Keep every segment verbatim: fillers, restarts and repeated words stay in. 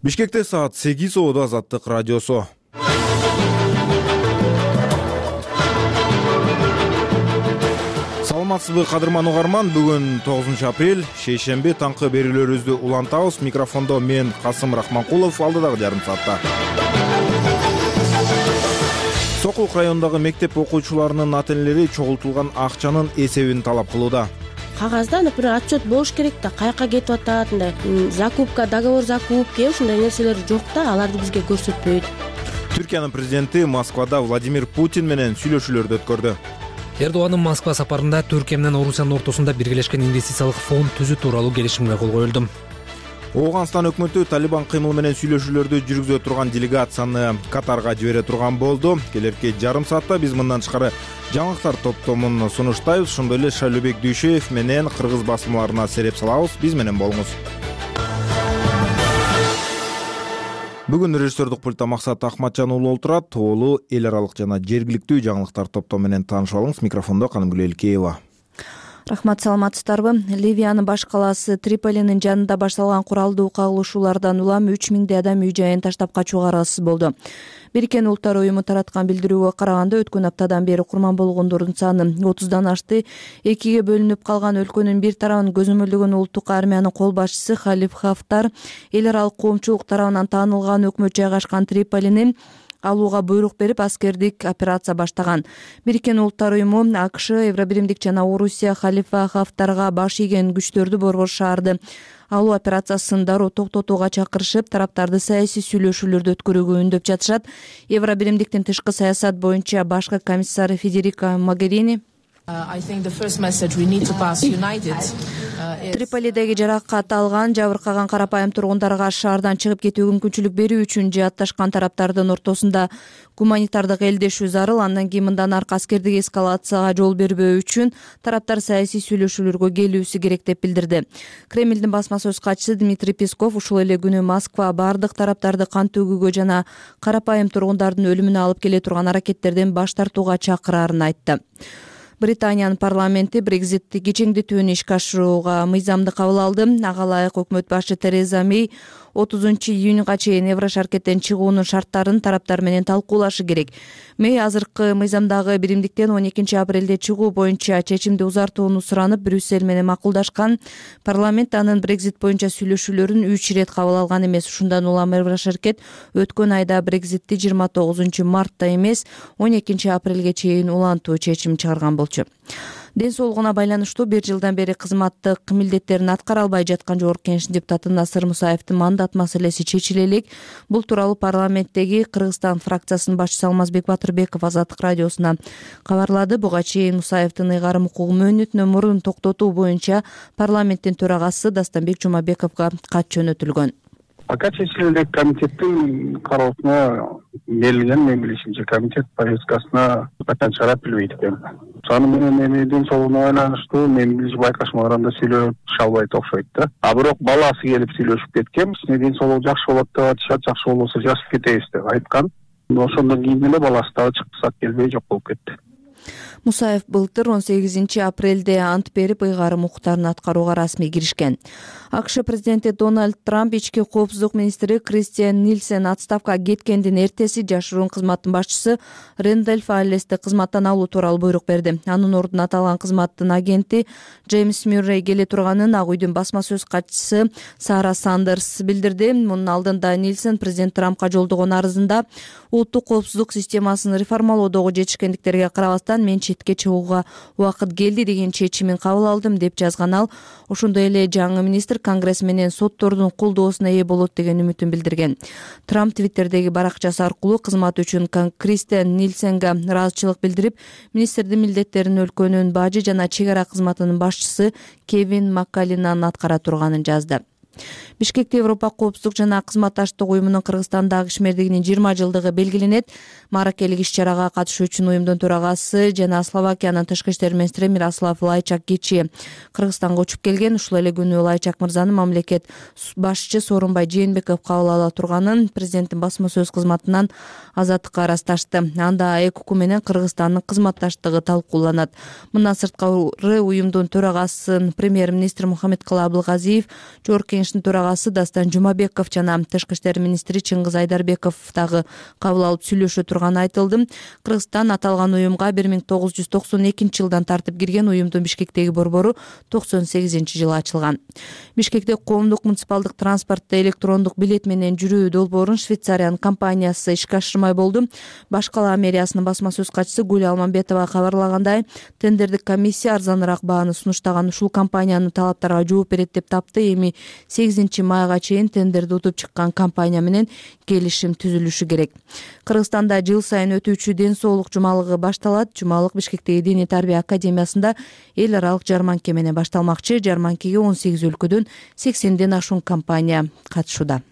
Бишкекте саат сегиз ободо Азаттык радиосу. Саламатсызбы кадырман угарман, бүгүн тогузунчу апрель, шейшемби, таңкы берүүлөрүбүздү улантабыз. Микрофондо мен Касым Рахманкулов, алдыдагы жарым саатта. Сокулук районундагы мектеп окуучуларынын ата-энелери чогултулган акчанын эсебин талап кылууда. Кагазда, например, отчет болуш керек да, каяка кетип атат, мындай закупка, договор закупки, ушундай нерселер жок да, аларды бизге көрсөтпөйт. Түркиянын президенти Москвада Владимир Путин менен сүйлөшүүлөрдү өткөрдү. Эрдоганын Москва сапарында Түркия менен Орусиянын ортосунда биргелешкен инвестициялык фонд түзүү тууралуу келишимге кол коюлду. Ооганстан өкмөтү Талибан кыймыл менен сүйлөшүүлөрдү жүргүзө турган делегацияны Катарга жибере турган болду. Келерки жарым саатта биз мындан тышкары жаңылыктар топтомун сунуштайбыз. Ошондой эле Шайлообек Дүйшөев менен кыргыз басмаларына сереп салабыз. Биз менен болуңуз. Бүгүн режиссердук пультта Максат Ахматжан уулу олтурат. Тоолуу эл аралык жана жергиликтүү жаңылыктар топтому менен таанышып алыңыз. Микрофондо Канымгүл Элкеева. Рахмат, саламатсыздарбы? Ливиянын баш калаасы Триполинин жанында башталган куралдуу кагылышуулардан улам үч миңдей адам үй жайын таштап качууга аргасыз болду. Бириккен Улуттар уюму тараткан билдирүүгө караганда, өткөн аптадан бери курман болгондордун саны отуздан ашты. Экиге бөлүнүп калган өлкөнүн бир тарабын көзөмөлдөгөн улуттук армиянын кол башчысы Халиф Хафтар эл аралык коомчулук тарабынан таанылган өкмөт жайгашкан Триполинин алууга буйрук берип, аскердик операция баштаган. Бириккен Улуттар уюму, АКШ, Евробиримдик жана Орусия Халифа Хафтарга баш ийген күчтөрдү борбор шаарды алуу операциясын дароо токтотууга чакырышып, тараптарды саясий сүйлөшүүлөрдү өткөрүүгө үндөп жатышат. Евробиримдиктин тышкы саясат боюнча башкы комиссары Федерика Могерини Триполидеги жаракат алган, жабыркаган карапайым тургундарга шаардан чыгып кетүүгө мүмкүнчүлүк берүү үчүн жаатташкан тараптардын ортосунда гуманитардык элдешүү зарыл. Андан кийин мындан аркы аскердик эскалацияга жол бербөө үчүн тараптар саясий сүйлөшүүлөргө келүүсү керек деп билдирди. Кремлдин басма сөз катчысы Дмитрий Песков ушул эле күнү Москва бардык тараптарды кан төгүүгө жана карапайым тургундардын өлүмүнө алып келе турган аракеттерден баш тартууга чакыраарын айтты. Британиянын парламенти Брекзитти кичиңдетүүнү ишке ашырууга мыйзамды кабыл алды. Ага ылайык өкмөт башчы Тереза Мэй отузунчу июнга чейин Еврошаркеттен чыгуунун шарттарын тараптар менен талкуулашы керек. Мэй азыркы мыйзамдагы биримдиктен он экинчи апрелде чыгуу боюнча чечимди узартууну суранып, Брюссель менен макулдашкан. Парламент анын Брекзит боюнча сүйлөшүүлөрүн үч ирет кабыл алган эмес. Ушундан улам Еврошаркет өткөн айда Брекзитти жыйырма тогузунчу мартта эмес, он экинчи апрелге чейин улантуу чечим чыгарган болчу. Ден соолугуна байланыштуу бир жылдан бери кызматтык милдеттерин аткара албай жаткан Жогорку Кеңештин депутаты Насыр Мусаевдин мандат маселеси чечиле элек. Бул тууралуу парламенттеги Кыргызстан фракциясынын башчысы Алмазбек Батырбеков Азаттык радиосуна кабарлады. Буга чейин Мусаевдин ыйгарым укугу мөөнөтүнөн мурун токтотуу боюнча парламенттин төрагасы Дастанбек Жумабековго кат жөнөтүлгөн. Пока чечилелек комитеттин кароосуна берилген, мен билишимче комитет повесткасына качан чыгарат билбейт экен. Аны менен эми ден соолугуна байланыштуу мен билишим байкашмаганда сүйлөшө албайт окшойт да. А бирок баласы келип сүйлөшүп кеткен, ден соолугу жакшы болот деп атышат, жакшы болбосо жазып кетебиз деп айткан. Ошондон кийин эле баласы дагы чыксак келбей жок болуп кетти. Мусаев былтыр он сегизинчи апрелде ант берип, ыйгарым укуктарын аткарууга расмий киришкен. АКШ президенти Дональд Трамп ички коопсуздук министри Кристиан Нильсен отставкага кеткендин эртеси жашыруун кызматтын башчысы Рэндольф Аллести кызматтан алуу тууралуу буйрук берди. Анын ордуна аталган кызматтын агенти Джеймс Мюррей келе турганын Ак үйдүн басма сөз катчысы Сара Сандерс билдирди. Мунун алдында Нильсен президент Трампка жолдогон арызында улуттук коопсуздук системасын реформалоодогу жетишкендиктерге карабастан мен четке чыгууга убакыт келди деген чечимин кабыл алдым деп жазган ал. Ошондой эле жаңы министр Конгресс менен соттордун колдоосуна ээ болот деген үмүтүн билдирген. Трамп Твиттердеги баракчасы аркылуу кызмат үчүн Кристиан Нильсенге ыраазычылык билдирип, министрдин милдеттерин өлкөнүн бажы жана чек ара кызматынын башчысы Кевин Маккалинан аткара турганын жазды. Бишкекте Европа коопсуздук жана кызматташтык уюмунун Кыргызстандагы ишмердигинин жыйырма жылдыгы белгиленет. Маракелик иш-чарага катышуу үчүн уюмдун төрагасы жана Словакиянын тышкы иштер министри Мирослав Лайчак кечээ Кыргызстанга учуп келген. Ушул эле күнү Лайчак мырзаны мамлекет башчы Сооронбай Жээнбеков кабыл ала турганын президенттин басма сөз кызматынан Азаттыкка ырасташты. Анда ЭКУ менен Кыргызстандын кызматташтыгы талкууланат. Мындан сырткары уюмдун төрагасын премьер-министр Мухаммедкалый Абылгазиев Жогорку кеңештин төрагасы Дастан Жумабеков жана тышкы иштер министри Чыңгыз Айдарбеков дагы кабыл алып сүйлөшө турганы айтылды. Кыргызстан аталган уюмга бир миң тогуз жүз токсон экинчи жылдан тартып кирген, уюмдун Бишкектеги борбору токсон сегизинчи жылы ачылган. Бишкекте коомдук муниципалдык транспортто электрондук билет менен жүрүү долбоорун Швейцариянын компаниясы ишке ашырмай болду. Баш кала мэриясынын басма сөз катчысы Гүль Алмамбетова кабарлагандай, тендердик комиссия арзаныраак бааны сунуштаган ушул компаниянын талаптарга жооп берет деп тапты. Эми сегизинчи майга чейин тендерди утуп чыккан компания менен келишим түзүлүшү керек. Кыргызстанда жыл сайын өтүүчү ден соолук жумалыгы башталат. Жумалык Бишкектеги диний тарбия академиясында эл аралык жарманке менен башталмакчы. Жарманкеге он сегиз өлкөдөн сексенден ашуун компания катышууда.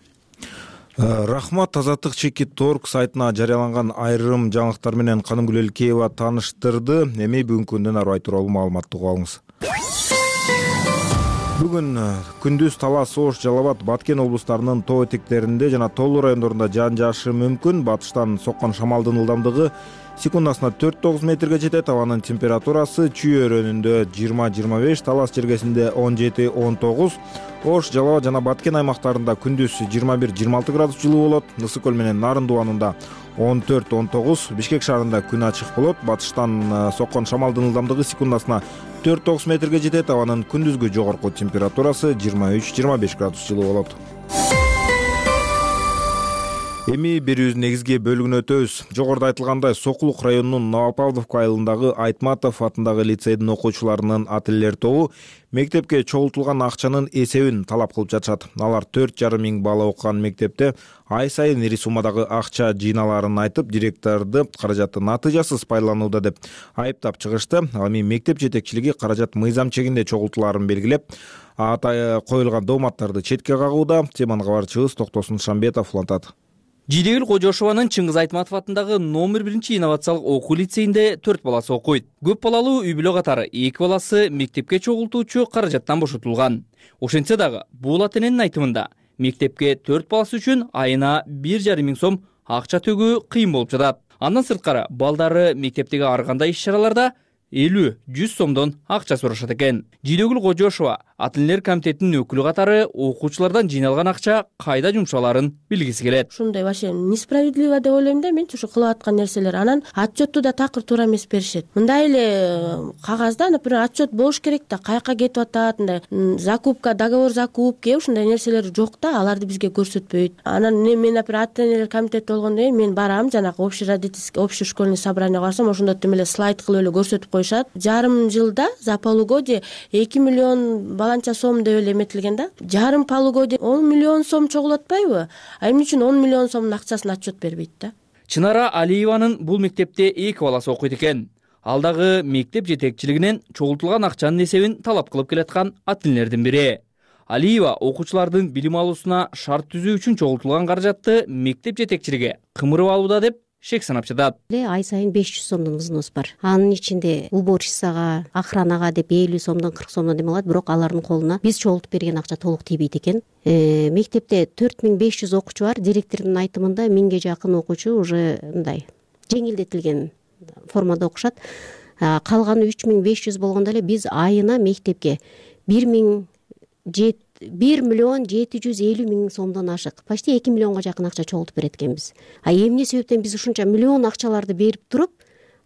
Рахмат. Азаттык чекит орг сайтына жарыяланган айрым жаңылыктар менен Канымгүл Элкеева тааныштырды. Эми бүгүнкү күндөн ары тууралуу маалыматты угуп алыңыз. Бүгүн күндүз Талас, Ош, Жалал Абад, Баткен облустарынын тоо этектеринде жана тоолуу райондорунда жаан жаашы мүмкүн. Батыштан соккон шамалдын ылдамдыгы секундасына төрт тогуз метрге жетет. Абанын температурасы Чүй өрөөнүндө жыйырма жыйырма беш, Талас жергесинде он жети он тогуз, Ош, Жалал Абад жана Баткен аймактарында күндүз жыйырма бир жыйырма алты градус жылуу болот. Ысык көл менен Нарын дубанында он төрт он тогуз, Бишкек шаарында күн ачык болот. Батыштан соккон шамалдын ылдамдыгы секундасына төрт тогуз метрге жетет. Абанын күндүзгү жогорку температурасы жыйырма үч жыйырма беш градус жылуу болот. Эми берүүбүздүн негизги бөлүгүнө өтөбүз. Жогоруда айтылгандай, Сокулук районунун Новопавловка айылындагы Айтматов атындагы лицейдин окуучуларынын ата-энелер тобу мектепке чогултулган акчанын эсебин талап кылып жатышат. Алар төрт жарым миң бала окуган мектепте ай сайын ири суммадагы акча жыйналаарын айтып, директорду каражатты натыйжасыз пайдаланууда деп айыптап чыгышты. Ал эми мектеп жетекчилиги каражат мыйзам чегинде чогултулаарын белгилеп, ата коюлган дооматтарды четке кагууда. Теманы кабарчыбыз Токтосун Шамбетов улантат. Жидегүл Кожошованын Чыңгыз Айтматов атындагы номер биринчи инновациялык окуу лицейинде төрт баласы окуйт. Көп балалуу үй бүлө катары эки баласы мектепке чогултуучу каражаттан бошотулган. Ошентсе дагы бул ата-эненин айтымында мектепке төрт баласы үчүн айына бир жарым миң сом акча төгүү кыйын болуп жатат. Андан сырткары балдары мектептеги ар кандай иш-чараларда элүү жүз сомдон акча сурашат экен. Жидегүл Кожошова ата-энелер комитетинин өкүлү катары окуучулардан жыйналган акча кайда жумшаларын билгиси келет. Ушундай вообще несправедливо деп ойлойм да, менчи ушу кылып аткан нерселер. Анан отчетту да такыр туура эмес беришет. Мындай эле кагазда, например, отчет болуш керек да, каяка кетип атат, мындай закупка, договор закупки, ушундай нерселер жок да, аларды бизге көрсөтпөйт. Анан мен, например, ата-энелер комитети болгондон кийин мен барам, жанагы общий родительский, общий школьный собрание барсам, ошондо тим эле слайд кылып эле көрсөтүп коюшат. Жарым жылда за полугодие эки миллион баланча сом деп эле эметилген да. Жарым полугодие он миллион сом чогулуп атпайбы? А эмне үчүн он миллион сомдун акчасын отчет бербейт да? Чынара Алиеванын бул мектепте эки баласы окуйт экен. Ал дагы мектеп жетекчилигинен чогултулган акчанын эсебин талап кылып келаткан ата-энелердин бири. Алиева окуучулардын билим алуусуна шарт түзүү үчүн чогултулган каражатты мектеп жетекчилиги кымырып алууда деп шек санап жатат. Ай сайын беш жүз сомдон взнос бар. Анын ичинде уборщицага, охранага деп элүү сомдон кырк сомдон дем алат, бирок алардын колуна биз чогултуп берген акча толук тийбейт экен. Э, мектепте төрт миң беш жүз окуучу бар. Директордун айтымында миңге жакын окуучу уже мындай жеңилдетилген формада окушат. Калганы үч миң беш жүз болгондо эле биз айына мектепке бир миң бир миллион жети жүз элүү миң сомдон ашык, почти эки миллионго жакын акча чогултуп берет экенбиз. А эмне себептен биз ушунча миллион акчаларды берип туруп,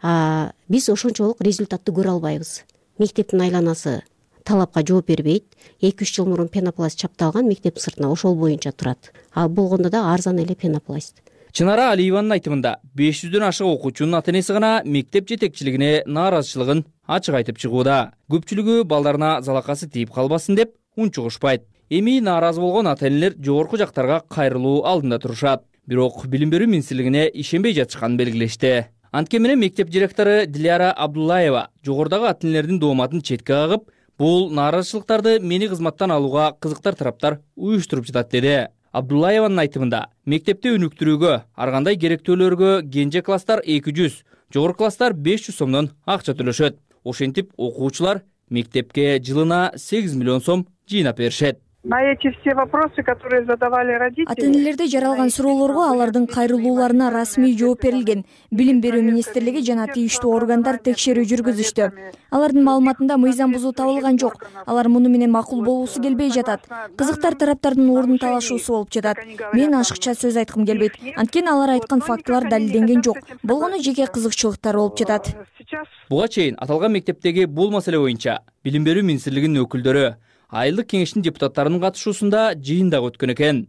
биз ошончолук результатты көрө албайбыз? Мектептин айланасы талапка жооп бербейт. эки үч жыл мурун пенопласт чапталган, мектеп сыртына ошол боюнча турат. А болгондо да арзан эле пенопласт. Чынара Алиеванын айтымында беш жүздөн ашык окуучунун ата-энеси гана мектеп жетекчилигине нааразычылыгын ачык айтып чыгууда. Көпчүлүгү балдарына залакасы тийип калбасын деп унчугушпайт. Эми нааразы болгон ата-энелер жогорку жактарга кайрылуу алдында турушат. Бирок билим берүү министрлигине ишенбей жатышканын белгилешти. Анткени менен мектеп директору Диляра Абдуллаева жогордагы ата-энелердин дооматын четке кагып, бул нааразычылыктарды мени кызматтан алууга кызыктар тараптар уюштуруп жатат деди. Абдуллаеванын айтымында мектепте өнүктүрүүгө, ар кандай керектөөлөргө кенже класстар эки жүз, жогорку класстар беш жүз сомдон акча төлөшөт. Ошентип окуучулар мектепке жылына сегиз миллион сом жыйнап беришет. На эти все вопросы, которые задавали родители, ата энелерде жаралган суроолорго алардын кайрылууларына расмий жооп берилген. Билим берүү министрлиги жана тийиштүү органдар текшерүү жүргүзүштү. Алардын маалыматында мыйзам бузуу табылган жок. Алар муну менен макул болуусу келбей жатат. Кызыктар тараптардын ордун талашуусу болуп жатат. Мен ашыкча сөз айткым келбейт. Анткени алар айткан фактылар далилденген жок. Болгону жеке кызыкчылыктар болуп жатат. Буга чейин аталган мектептеги бул маселе боюнча Билим берүү министрлигинин өкүлдөрү айылдык кеңештин депутаттарынын катышуусунда жыйын дагы өткөн экен.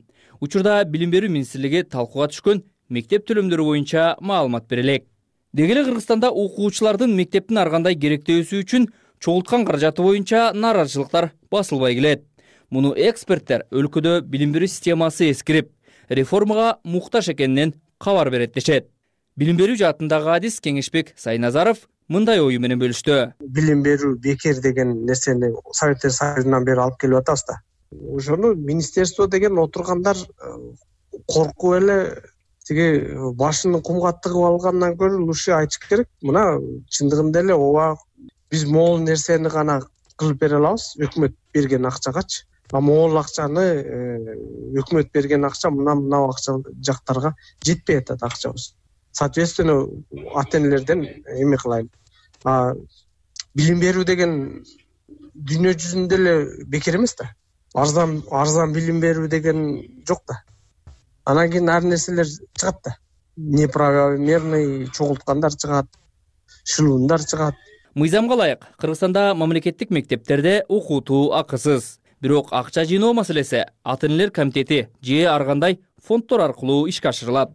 Учурда Билим берүү министрлиги талкууга түшкөн мектеп төлөмдөрү боюнча маалымат бере элек. Деги эле Кыргызстанда окуучулардын мектептин ар кандай керектөөсү үчүн чогулткан каражаты боюнча нааразычылыктар басылбай келет. Муну эксперттер өлкөдө билим берүү системасы эскирип, реформага муктаж экенинен кабар берет дешет. Билим берүү жаатындагы адис Кеңешбек Сайназаров мындай ою менен бөлүштү. Билим берүү бекер деген нерсени Советтер Союзунан бери алып келип атабыз да. Ошону министерство деген отургандар коркуп эле тиги башын кумга тыгып алгандан көрө лучше айтыш керек. Мына чындыгында эле ооба биз могул нерсени гана кылып бере алабыз, өкмөт берген акчагачы. А могул акчаны өкмөт берген акча мына мына акча жактарга жетпей атат акчабыз. Соответственно, ата энелерден эме кылайын. А билим берүү деген дүйнө жүзүндө эле бекер эмес да. Арзан арзан билим берүү деген жок да. Анан кийин ар нерселер чыгат да. Неправомерный чогулткандар чыгат, шылуундар чыгат. Мыйзамга ылайык Кыргызстанда мамлекеттик мектептерде окутуу акысыз. Бирок акча жыйноо маселеси ата энелер комитети же ар кандай фонддор аркылуу ишке ашырылат.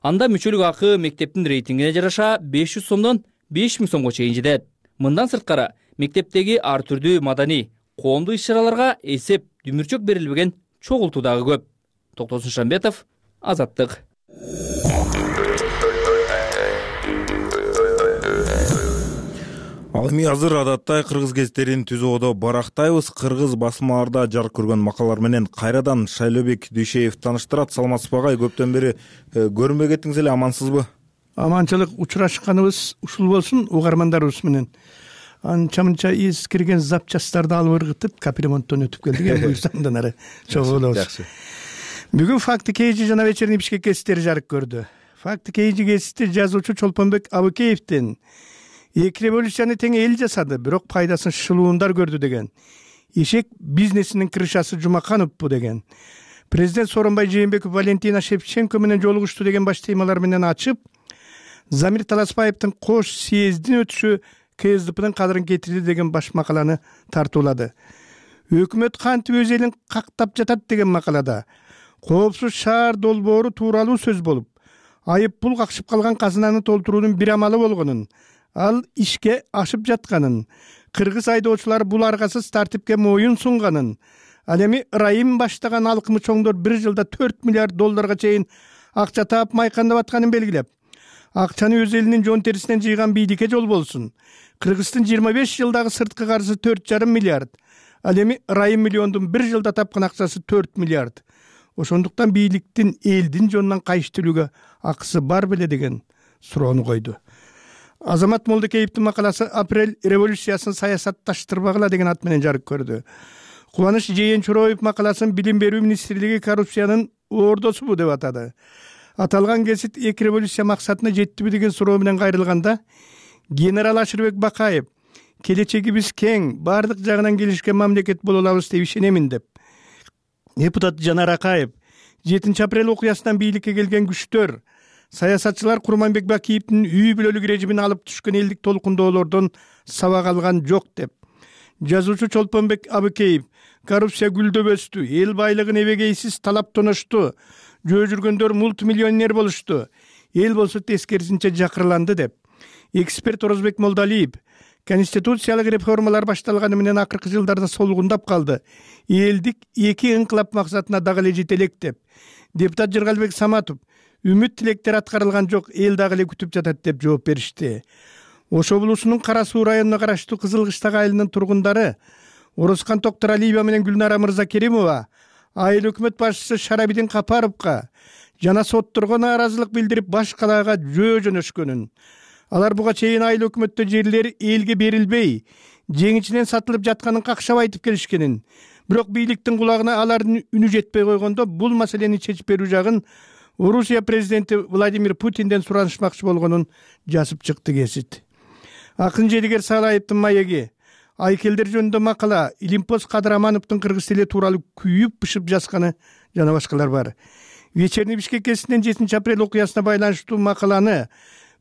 Анда мүчөлүк акы мектептин рейтингине жараша беш жүз сомдон беш миң сомго чейин жетет. Мындан сырткары мектептеги ар түрдүү маданий, коомдук иш-чараларга эсеп дүмүрчөк берилбеген чогултуу дагы көп. Токтосун Шамбетов, Азаттык. Ал эми азыр адаттай кыргыз гезиттерин түзүүдө барактайбыз. Кыргыз басмаларда жарык көргөн макалалар менен кайрадан Шайлообек Дүйшеев тааныштырат. Саламатсызбы агай, көптөн бери көрүнбөй кеттиңиз эле, амансызбы? Аманчылык, учурашканыбыз ушул болсун угармандарыбыз менен. Анча-мынча из кирген запчасттарды алып ыргытып, капремонттон өтүп келдик. Эми буйрсаңдан ары чогулабыз. Бүгүн Факты Кейжи жана Вечерний Бишкек гезиттери жарык көрдү. Факты Кейжи гезити жазуучу Чолпонбек Абыкеевдин эки революцияны тең эл жасады, бирок пайдасын шылуундар көрдү деген. Ишек бизнесинин крышасы Жумакановпу деген. Президент Сооронбай Жээнбеков Валентина Шевченко менен жолугушту деген баш темалар менен ачып, Замир Таласбаевдин кош съездин өтүшү КСДПнын кадырын кетирди деген баш макаланы тартуулады. Өкмөт кантип өз элин кактап жатат деген макалада коопсуз шаар долбоору тууралуу сөз болуп, айып пул какшып калган казынаны толтуруунун бир амалы болгонун, ал ишке ашып жатканын, кыргыз айдоочулар бул аргасыз тартипке моюн сунганын, ал эми ырайым баштаган алкымы чоңдор бир жылда төрт миллиард долларга чейин акча таап майкандап атканын белгилеп, акчаны өз элинин жон терисинен жыйган бийликке жол болсун. Кыргыздын жыйырма беш жылдагы сырткы карызы төрт жарым миллиард, ал эми ырайым миллиондун бир жылда тапкан акчасы төрт миллиард. Ошондуктан бийликтин элдин жонунан кайыштырууга акысы бар беле деген суроону койду. Азамат Молдокеевдин макаласы Апрель революциясын саясатташтырбагыла деген ат менен жарык көрдү. Кубаныч Жээнчуроев макаласын Билим берүү министрлиги коррупциянын ордосубу деп атады. Аталган гезит эки революция максатына жеттиби деген суроо менен кайрылганда, генерал Ашырбек Бакаев келечегибиз кең, бардык жагынан келишкен мамлекет боло алабыз деп ишенемин деп. Депутат Жанар Акаев жетинчи апрель окуясынан бийликке келген күчтөр, саясатчылар Курманбек Бакиевдин үй бүлөлүк режимин алып түшкөн элдик толкундоолордон сабак алган жок деп. Жазуучу Чолпонбек Абыкеев коррупция гүлдөп өстү, эл байлыгын эбегейсиз талап тоношту, жөө жүргөндөр мультимиллионер болушту, эл болсо тескерисинче жакырланды деп. Эксперт Орозбек Молдалиев конституциялык реформалар башталганы менен акыркы жылдарда солгундап калды, элдик эки ыңкылап максатына дагы эле жете элек деп. Депутат Жыргалбек Саматов үмүт тилектер аткарылган жок, эл дагы эле күтүп жатат деп жооп беришти. Ош облусунун Кара Суу районуна караштуу Кызылкыштак айылынын тургундары Орускан Токторалиева менен Гүлнара Мырзакеримова айыл өкмөт башчысы Шарабидин Капаровго жана сотторго нааразылык билдирип баш калаага жөө жөнөшкөнүн, алар буга чейин айыл өкмөттө жерлери элге берилбей, жеңичинен сатылып жатканын какшап айтып келишкенин, бирок бийликтин кулагына алардын үнү жетпей койгондо бул маселени чечип берүү жагын Орусия президенти Владимир Путинден суранышмакчы болгонун жазып чыкты гезит. Акын Желигер Салаевдин маеги, айкелдер жөнүндө макала, Илимпоз Кадырамановдун кыргыз тили тууралуу күйүп-бышып жазганы жана башкалар бар. Вечерний Бишкек гезитинен жетинчи апрель окуясына байланыштуу макаланы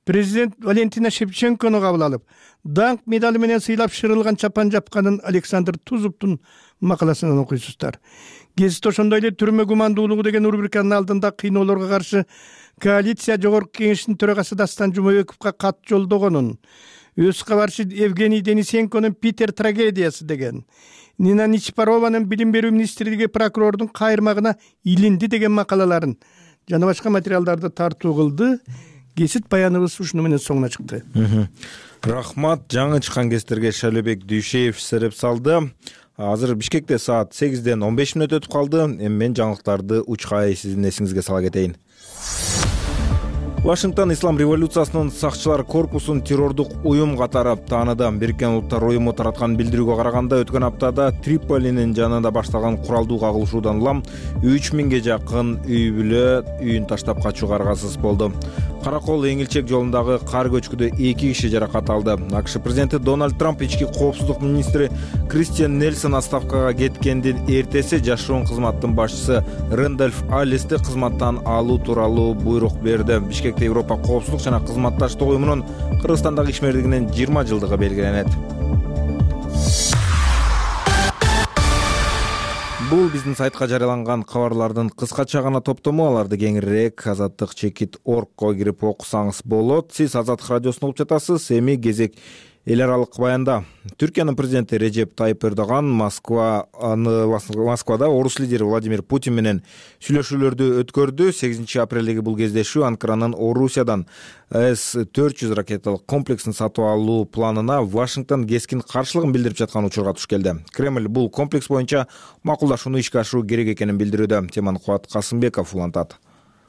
президент Валентина Шевченкону кабыл алып, даңк медали менен сыйлап шырылган чапан жапканын Александр Тузовдун макаласынан окуйсуздар. Гезит ошондой эле түрмө гумандуулугу деген рубриканын алдында кыйноолорго каршы коалиция жогорку кеңешинин төрагасы Дастан Жумабековго кат жолдогонун, өз кабарчы Евгений Денисенконун Питер трагедиясы деген, Нина Нечипарованын билим берүү министрлиги прокурордун кайырмагына илинди деген макалаларын жана башка материалдарды тартуу кылды. Гезит баяныбыз ушуну менен соңуна чыкты. Рахмат. Жаңы чыккан гезиттерге Шалебек Дүйшеев сереп салды. Азыр Бишкекте саат сегизден он беш мүнөт өтүп калды. Эми мен жаңылыктарды учкай сиздин эсиңизге сала кетейин. Вашингтон Ислам революциясынын сакчылар корпусун террордук уюм катары тааныды. Бириккен Улуттар уюму тараткан билдирүүгө караганда өткөн аптада Триполинин жанында башталган куралдуу кагылышуудан улам үч миңге жакын үй бүлө үйүн таштап качууга аргасыз болду. Каракол Эңилчек жолундагы кар көчкүдө эки киши жаракат алды. АКШ президенти Дональд Трамп ички коопсуздук министри Кристиан Нельсон отставкага кеткендин эртеси жашыруун кызматтын башчысы Рэндольф Аллисти кызматтан алуу тууралуу буйрук берди. Бишкекте Европа коопсуздук жана кызматташтык уюмунун Кыргызстандагы ишмердигинин жыйырма жылдыгы белгиленет. Бул биздин сайтка жарыяланган кабарлардын кыскача гана топтому. Аларды кеңирээк азаттык чекит точка оргко кирип окусаңыз болот. Сиз Азаттык радиосун угуп жатасыз. Эми кезек эл аралык баянда. Түркиянын президенти Режеп Тайып Эрдоган Москва Москвада орус лидери Владимир Путин менен сүйлөшүүлөрдү өткөрдү. сегизинчи апрелдеги бул кездешүү Анкаранын Орусиядан эс төрт жүз ракеталык комплексин сатып алуу планына Вашингтон кескин каршылыгын билдирип жаткан учурга туш келди. Кремль бул комплекс боюнча макулдашууну ишке ашыруу керек экенин билдирүүдө. Теманы Кубат Касымбеков улантат.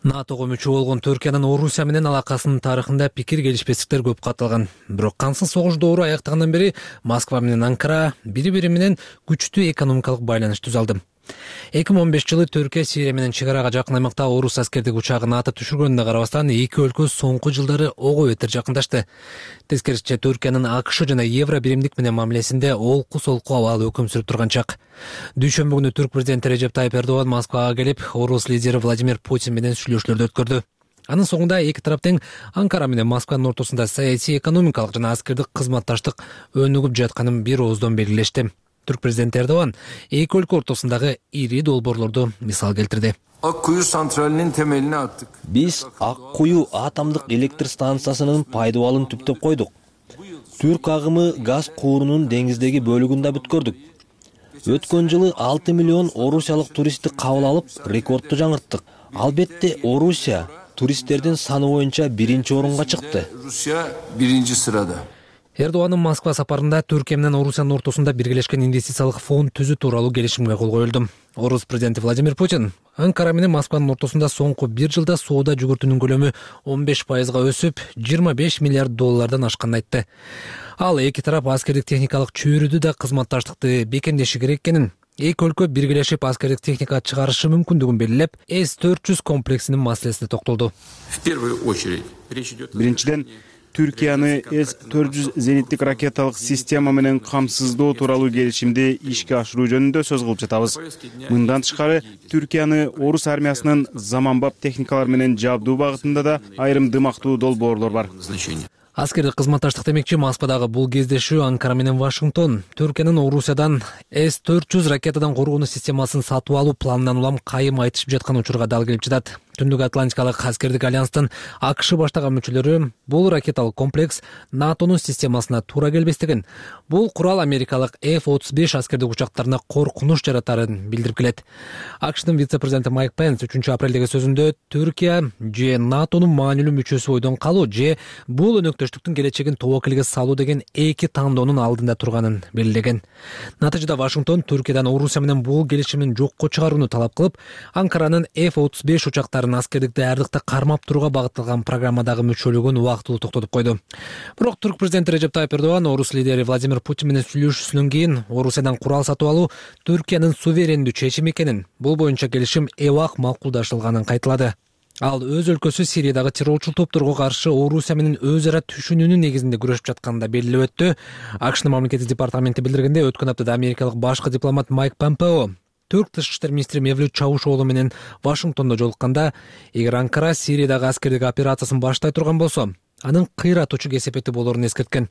натого мүчө болгон Түркиянын Орусия менен алакасынын тарыхында пикир келишпестиктер көп катталган. Бирок кансыз согуш доору аяктагандан бери Москва менен Анкара бири-бири менен күчтүү экономикалык байланыш түзүп алды. эки миң он бешинчи жылы Түркия Сирия менен чек арага жакын аймакта орус аскердик учагын атып түшүргөнүнө карабастан эки өлкө соңку жылдары ого бетер жакындашты. Тескерисинче Түркиянын АКШ жана Евро биримдик менен мамилесинде олку-солку абалы өкүм сүрүп турган чак. Дүйшөмбү күнү Түрк президенти Режеп Тайып Эрдоган Москвага келип, орус лидери Владимир Путин менен сүйлөшүүлөрдү өткөрдү. Анын соңунда эки тарап тең Анкара менен Москванын ортосунда саясий, экономикалык жана аскердик кызматташтык өнүгүп жатканын бир ооздон белгилешти. Түрк президенти Эрдоган эки өлкө ортосундагы ири долбоорлорду мисал келтирди. Ак кую централынын темелине аттык. Биз Ак кую атомдук электр станциясынын пайдубалын түптөп койдук. Түрк агымы газ куурунун деңиздеги бөлүгүн да бүткөрдүк. Өткөн жылы алты миллион орусиялык туристти кабыл алып, рекордду жаңырттык. Албетте Орусия туристтердин саны боюнча биринчи орунга чыкты. Русия биринчи сырада. Эрдоганын Москва сапарында Түркия менен Орусиянын ортосунда биргелешкен инвестициялык фонд түзүү тууралуу келишимге кол коюлду. Орус президенти Владимир Путин Анкара менен Москванын ортосунда соңку бир жылда соода жүгүртүүнүн көлөмү он беш пайызга өсүп, жыйырма беш миллиард доллардан ашканын айтты. Ал эки тарап аскердик техникалык чөйрөдү да кызматташтыкты бекемдеши керек экенин, эки өлкө биргелешип аскердик техника чыгарышы мүмкүндүгүн белгилеп, эс төрт жүз комплексинин маселесине токтолду. Биринчиден, Түркияны эс төрт жүз зениттик ракеталык система менен камсыздоо тууралуу келишимди ишке ашыруу жөнүндө сөз кылып жатабыз. Мындан тышкары, Түркияны орус армиясынын заманбап техникалар менен жабдуу багытында да айрым дымактуу долбоорлор бар. Аскердик кызматташтык демекчи Москвадагы бул кездешүү Анкара менен Вашингтон Түркиянын Орусиядан эс төрт жүз ракетадан коргонуу системасын сатып алуу планынан улам кайым айтышып жаткан учурга дал келип жатат. Түндүк Атлантикалык аскердик альянстын АКШ баштаган мүчөлөрү бул ракеталык комплекс НАТОнун системасына туура келбестигин, бул курал америкалык эф отуз беш аскердик учактарына коркунуч жаратарын билдирип келет. АКШдын вице-президенти Майк Пенс үчүнчү апрелдеги сөзүндө Түркия же НАТОнун маанилүү мүчөсү бойдон калуу же бул өнөктөштүктүн келечегин тобокелге салуу деген эки тандоонун алдында турганын белгилеген. Натыйжада Вашингтон Түркиядан Орусия менен бул келишимин жокко чыгарууну талап кылып, Анкаранын эф отуз беш учактарын талаптарын аскердикти ардыкта кармап турууга багытталган программадагы мүчөлүгүн убактылуу токтотуп койду. Бирок турк президенти Режеп Тайып Эрдоган орус лидери Владимир Путин менен сүйлөшүүсүнөн кийин Орусиядан курал сатып алуу Түркиянын суверендүү чечими экенин, бул боюнча келишим эбак макулдашылганын кайталады. Ал өз өлкөсү Сириядагы террорчул топторго каршы Орусия менен өз ара түшүнүүнүн негизинде күрөшүп жатканын да белгилеп өттү. АКШнын мамлекеттик департаменти билдиргендей, өткөн аптада америкалык башкы дипломат Майк Помпео Түрк тышкы иштер министри Мевлют Чавушоглу менен Вашингтондо жолукканда, эгер Анкара Сириядагы аскердик операциясын баштай турган болсо, анын кыйратуучу кесепети болорун эскерткен.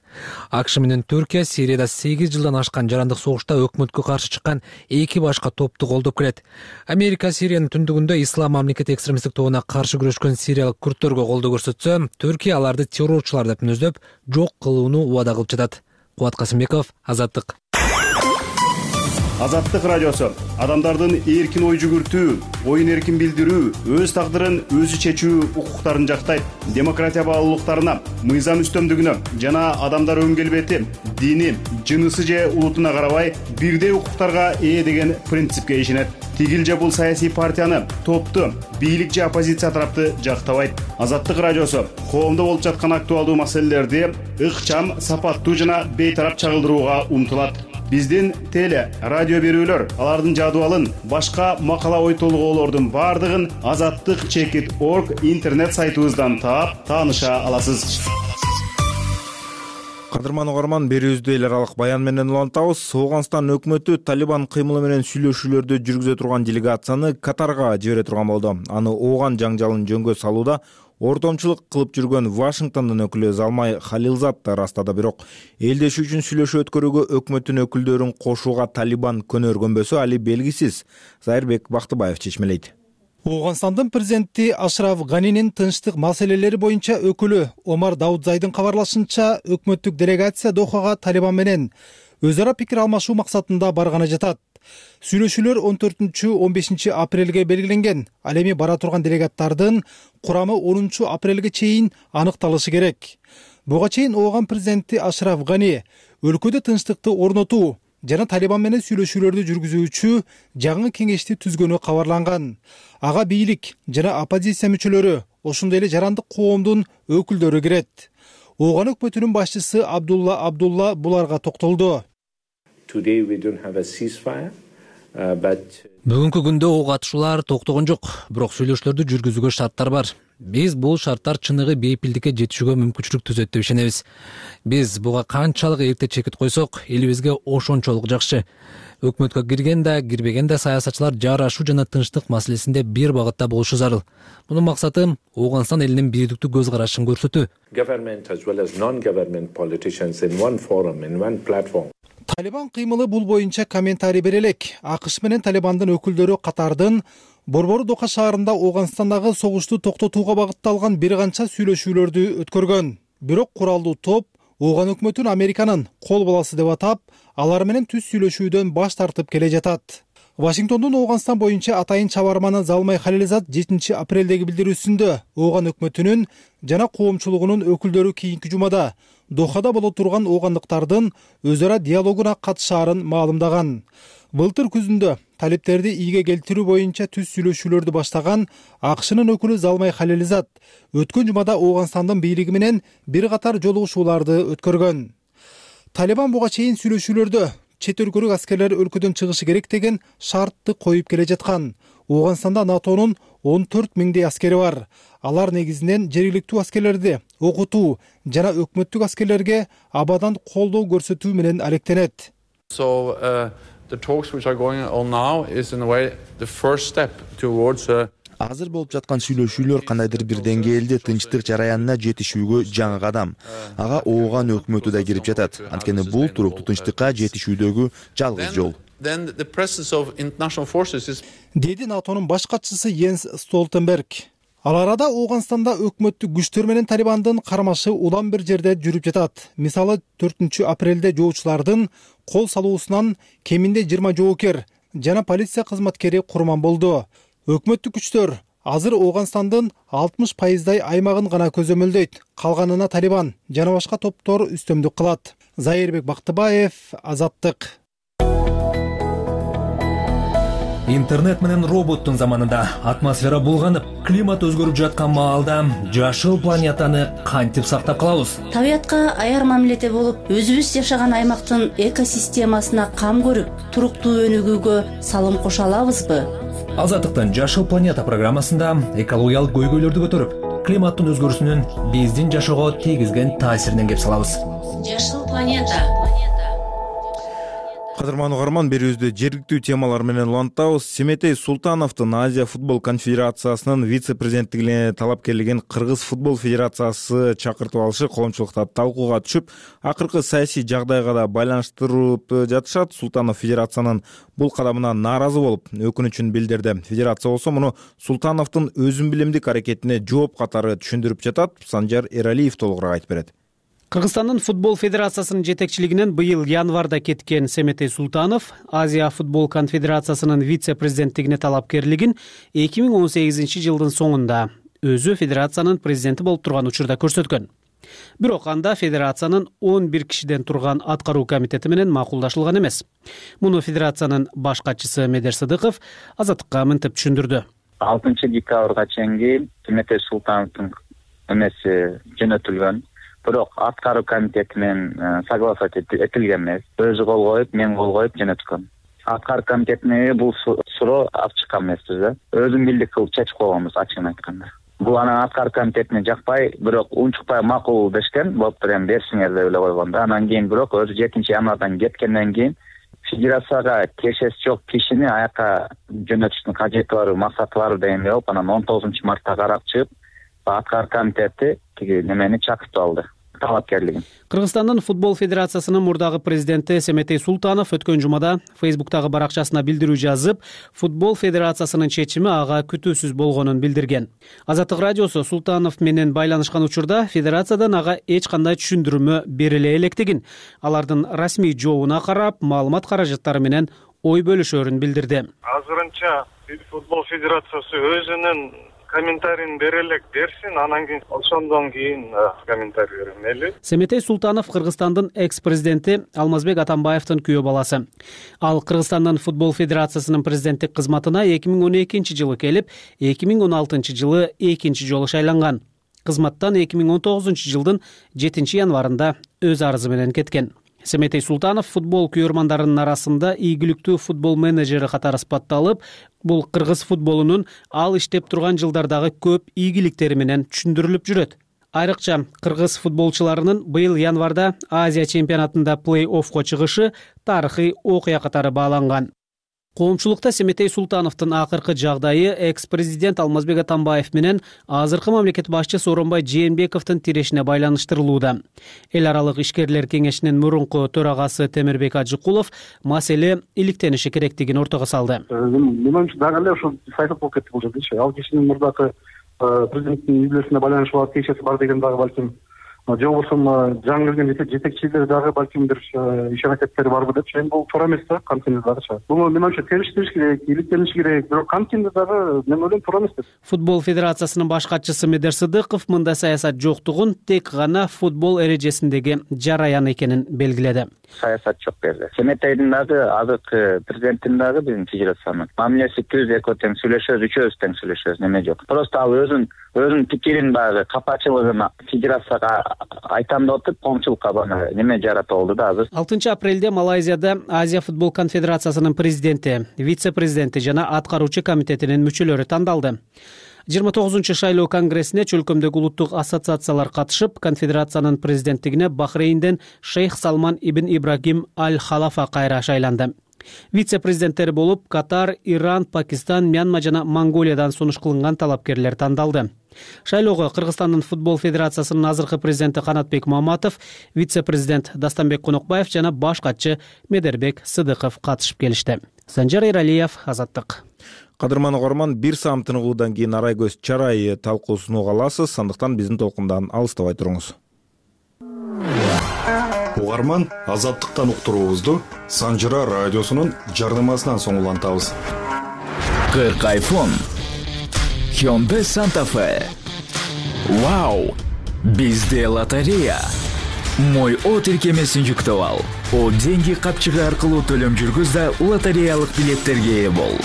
АКШ менен Түркия Сирияда сегиз жылдан ашкан жарандык согушта өкмөткө каршы чыккан эки башка топту колдоп келет. Америка Сириянын түндүгүндө ислам мамлекети экстремисттик тобуна каршы күрөшкөн сириялык күрттөргө колдоо көрсөтсө, Түркия аларды террорчулар деп мүнөздөп, жок кылууну убада кылып жатат. Кубат Касымбеков, Азаттык. Азаттык радиосу адамдардын эркин ой жүгүртүү, оюн эркин билдирүү, өз тагдырын өзү чечүү укуктарын жактайт. Демократия баалуулуктарына, мыйзам үстөмдүгүнө жана адамдар өн келбети, дини, жынысы же улутуна карабай бирдей укуктарга ээ деген принципке ишенет. Тигил же бул саясий партияны, топту, бийлик же оппозиция тарапты жактабайт. Азаттык радиосу коомдо болуп жаткан актуалдуу маселелерди ыкчам, сапаттуу жана бейтарап чагылдырууга умтулат. Биздин теле, радио берүүлөр, алардын жадыбалын, башка макала ой толгоолордун бардыгын азаттык чекит орг интернет сайтыбыздан таап, тааныша аласыз. Кадырман угарман, берүүбүздү эл аралык баян менен улантабыз. Ооганстан өкмөтү Талибан кыймылы менен сүйлөшүүлөрдү жүргүзө турган делегацияны Катарга жибере турган болду. Аны ооган жаңжалын жөнгө салууда ортомчулук кылып жүргөн Вашингтондун өкүлү Залмай Халилзад да ырастады. Бирок элдешүү үчүн сүйлөшүү өткөрүүгө өкмөттүн өкүлдөрүн кошууга Талибан көнөргөнбөсү али белгисиз. Зайырбек Бактыбаев чечмелейт. Ооганстандын президенти Ашраф Ганинин тынчтык маселелери боюнча өкүлү Омар Даудзайдын кабарлашынча, өкмөттүк делегация Дохага Талибан менен өз ара пикир алмашуу максатында барганы жатат. Сүйлөшүүлөр он төртүнчү он бешинчи апрелге белгиленген. Ал эми бара турган делегаттардын курамы онунчу апрелге чейин аныкталышы керек. Буга чейин Ооган президенти Ашраф Гани өлкөдө тынчтыкты орнотуу жана Талибан менен сүйлөшүүлөрдү жүргүзүүчү жаңы кеңешти түзгөнү кабарланган. Ага бийлик жана оппозиция мүчөлөрү, ошондой эле жарандык коомдун өкүлдөрү кирет. Ооган өкмөтүнүн башчысы Абдулла Абдулла буларга токтолду. Бүгүнкү күндө ок атышуулар токтогон жок, бирок сүйлөшүүлөрдү жүргүзүүгө шарттар бар. Биз бул шарттар чыныгы бейпилдикке жетишүүгө мүмкүнчүлүк түзөт деп ишенебиз. Биз буга канчалык эрте чекит койсок, элибизге ошончолук жакшы. Өкмөткө кирген да, кирбеген да саясатчылар жарашуу жана тынчтык маселесинде бир багытта болушу зарыл. Мунун максаты Ооганстан элинин бирдиктүү көз карашын көрсөтүү. Талибан кыймылы бул боюнча комментарий бере элек. АКШ менен Талибандын өкүлдөрү катардын Борбору Дока шаарында Ооганстандагы согушту токтотууга багытталган бир канча сүйлөшүүлөрдү өткөргөн. Бирок куралдуу топ Ооган өкмөтүн Американын кол баласы деп атап, алар менен түз сүйлөшүүдөн баш тартып келе жатат. Вашингтондун Ооганстан боюнча атайын чабарманы Залмай Халилзад жетинчи апрелдеги билдирүүсүндө Ооган өкмөтүнүн жана коомчулугунун өкүлдөрү кийинки жумада Дохада боло турган оогандыктардын өз ара диалогуна катышаарын маалымдаган. Былтыр күзүндө талиптерди ийге келтирүү боюнча түз сүйлөшүүлөрдү баштаган АКШнын өкүлү Залмай Халилзад өткөн жумада Ооганстандын бийлиги менен бир катар жолугушууларды өткөргөн. Талибан буга чейин сүйлөшүүлөрдө чет өлкөлүк аскерлер өлкөдөн чыгышы керек деген шартты коюп келе жаткан. Ооганстанда НАТОнун он төрт миңдей аскери бар. Алар негизинен жергиликтүү аскерлерди окутуу жана өкмөттүк аскерлерге абадан колдоо көрсөтүү менен алектенет. So uh, the talks which are going on now is in a way the first step towards uh, Азыр болуп жаткан сүйлөшүүлөр кандайдыр бир деңгээлде тынчтык жараянына жетишүүгө жаңы кадам. Ага Ооган өкмөтү да кирип жатат. Анткени бул туруктуу тынчтыкка жетишүүдөгү жалгыз жол. Деди НАТОнун баш катчысы Йенс Столтенберг. Ал арада Ооганстанда өкмөттүк күчтөр менен Талибандын кармашы улам бир жерде жүрүп жатат. Мисалы төртүнчү апрелде жоочулардын кол салуусунан кеминде жыйырма жоокер жана полиция кызматкери курман болду. Өкмөттүк күчтөр азыр Ооганстандын алтымыш пайыздай аймагын гана көзөмөлдөйт. Калганына Талибан жана башка топтор үстөмдүк кылат. Зайырбек Бактыбаев, Азаттык. Интернет менен роботтун заманында атмосфера булганып, климат өзгөрүп жаткан маалда жашыл планетаны кантип сактап калабыз? Табиятка аяр мамиледе болуп, өзүбүз жашаган аймактын экосистемасына кам көрүп, туруктуу өнүгүүгө салым кошо алабызбы? Азаттыктын Жашыл планета программасында экологиялык көйгөйлөрдү көтөрүп, климаттын өзгөрүүсүнүн биздин жашоого тийгизген таасиринен кеп салабыз. Жашыл планета. Кадырман угарман, берүүбүздө жергиликтүү темалар менен улантабыз. Семетей Султановдун Азия футбол конфедерациясынын вице-президенттигине талапкерлигин Кыргыз футбол федерациясы чакыртып алышы коомчулукта талкууга түшүп, акыркы саясий жагдайга да байланыштырып жатышат. Султанов федерациянын бул кадамынан нааразы болуп, өкүнүчүн билдирди. Федерация болсо муну Султановдун өзүн билимдик аракетине жооп катары түшүндүрүп жатат. Санжар Эралиев толугураак айтып берет. Кыргызстандын футбол федерациясынын жетекчилигинен быйыл январда кеткен Семетей Султанов Азия футбол конфедерациясынын вице-президенттигине талапкерлигин эки миң он сегизинчи жылдын соңунда өзү федерациянын президенти болуп турган учурда көрсөткөн. Бирок анда федерациянын он бир кишиден турган аткаруу комитети менен макулдашылган эмес. Муну федерациянын баш катчысы Медер Сыдыков Азаттыкка мынтип түшүндүрдү. алтынчы декабрга чейин Семетей Султановдун эмеси жөнөтүлгөн. Бирок аткаруу комитети менен согласовать этилген эмес. Өзү кол коюп, мен кол коюп жөнөткөн. Аткаруу комитетине бул суроо алып чыккан эмеспиз да. Өзүм билдик кылып чечип койгонбуз, ачыгын айтканда. Бул анан аткаруу комитетине жакпай, бирок унчукпай макул дешкен, болуптур эми берсиңер деп эле койгон да. Анан кийин бирок өзү жетинчи январдан кеткенден кийин федерацияга тиешеси жок кишини аяка жөнөтүштүн кажети бар, максаты бар дегендей болуп, анан он тогузунчу мартта карап чыгып, аткаруу комитети тиги немени чакыртып алды. Талапкерлигин. Кыргызстандын футбол федерациясынын мурдагы президенти Семетей Султанов өткөн жумада Фейсбуктагы баракчасына билдирүү жазып, футбол федерациясынын чечими ага күтүүсүз болгонун билдирген. Азаттык радиосу Султанов менен байланышкан учурда федерациядан ага эч кандай түшүндүрмө бериле электигин, алардын расмий жообуна карап, маалымат каражаттары менен ой бөлүшөрүн билдирди. Азырынча футбол федерациясы өзүнүн комментарийин бере элек берсин, анан кийин ошондон кийин комментарий берем, мейли. Семетей Султанов Кыргызстандын экс-президенти Алмазбек Атамбаевдин күйөө баласы. Ал Кыргызстандын футбол федерациясынын президенттик кызматына эки миң он экинчи жылы келип, эки миң он алтынчы жылы экинчи жолу шайланган. Кызматтан эки миң он тогузунчу жылдын жетинчи январында өз арызы менен кеткен. Семетей Султанов футбол күйөрмандарынын арасында ийгиликтүү футбол менеджери катары сыпатталып, бул кыргыз футболунун ал иштеп турган жылдардагы көп ийгиликтери менен түшүндүрүлүп жүрөт. Айрыкча кыргыз футболчуларынын быйыл январда Азия чемпионатында плей-оффко чыгышы тарыхый окуя катары бааланган. Коомчулукта Семетей Султановдун акыркы жагдайы экс-президент Алмазбек Атамбаев менен азыркы мамлекет башчысы Сооронбай Жээнбековдун тирешине байланыштырылууда. Эл аралык ишкерлер кеңешинин мурунку төрагасы Темирбек Ажыкулов маселе иликтениши керектигин ортого салды. Менин оюмча дагы эле ушул саясат болуп кетти бул жердечи. Ал кишинин мурдакы президенттин үй бүлөсүнө байланышы бар, тиешеси бар деген дагы балким, же болбосо жаңы келген жетекчилер дагы балким бир иш аракеттери барбы деп, эми бул туура эмес да, кантип дагычы. Буну мен оюмча териштириш керек, иликтениш керек, бирок кантип дагы мен ойлойм туура эмес деп. Футбол федерациясынын баш катчысы Медер Сыдыков мындай саясат жоктугун тек гана футбол эрежесиндеги жараян экенин белгиледи. Саясат жок берди. Семетейдин дагы азыркы президенттин дагы биздин федерациянын мамилеси түз, экөө тең сүйлөшөбүз, үчөөбүз тең сүйлөшөбүз, неме жок. Просто ал өзүн өзүнүн пикирин баягы капачылыгын федерацияга айтам деп атып, коомчулукка бана неме жаратып алды да азыр. алтынчы апрелде Малайзияда Азия футбол конфедерациясынын президенти, вице-президенти жана аткаруучу комитетинин мүчөлөрү тандалды. жыйырма тогузунчу шайлоо конгрессине чөлкөмдөгү улуттук ассоциациялар катышып, конфедерациянын президенттигине Бахрейнден Шейх Салман ибн Ибрагим аль-Халафа кайра шайланды. Вице-президенттери болуп Катар, Иран, Пакистан, Мьянма жана Монголиядан сунуш кылынган талапкерлер тандалды. Шайлоого Кыргызстандын футбол федерациясынын азыркы президенти Канатбек Маматов, вице-президент Дастанбек Конокбаев жана баш катчы Медербек Сыдыков катышып келишти. Санжар Эралиев, Азаттык. Кадырман угарман, бир саам тыныгуудан кийин арай көз чарай талкуусун уга аласыз, андыктан биздин толкундан алыстабай туруңуз. Угарман, Азаттыктан уктуруубузду Санжыра радиосунун жарнамасынан соң улантабыз. кырк айфон, Hyundai Santa Fe. Вау! Бизде лотерея. Мой о тиркемесин жүктөп ал. О деньги капчыгы аркылуу төлөм жүргүз да лотереялык билеттерге ээ бол.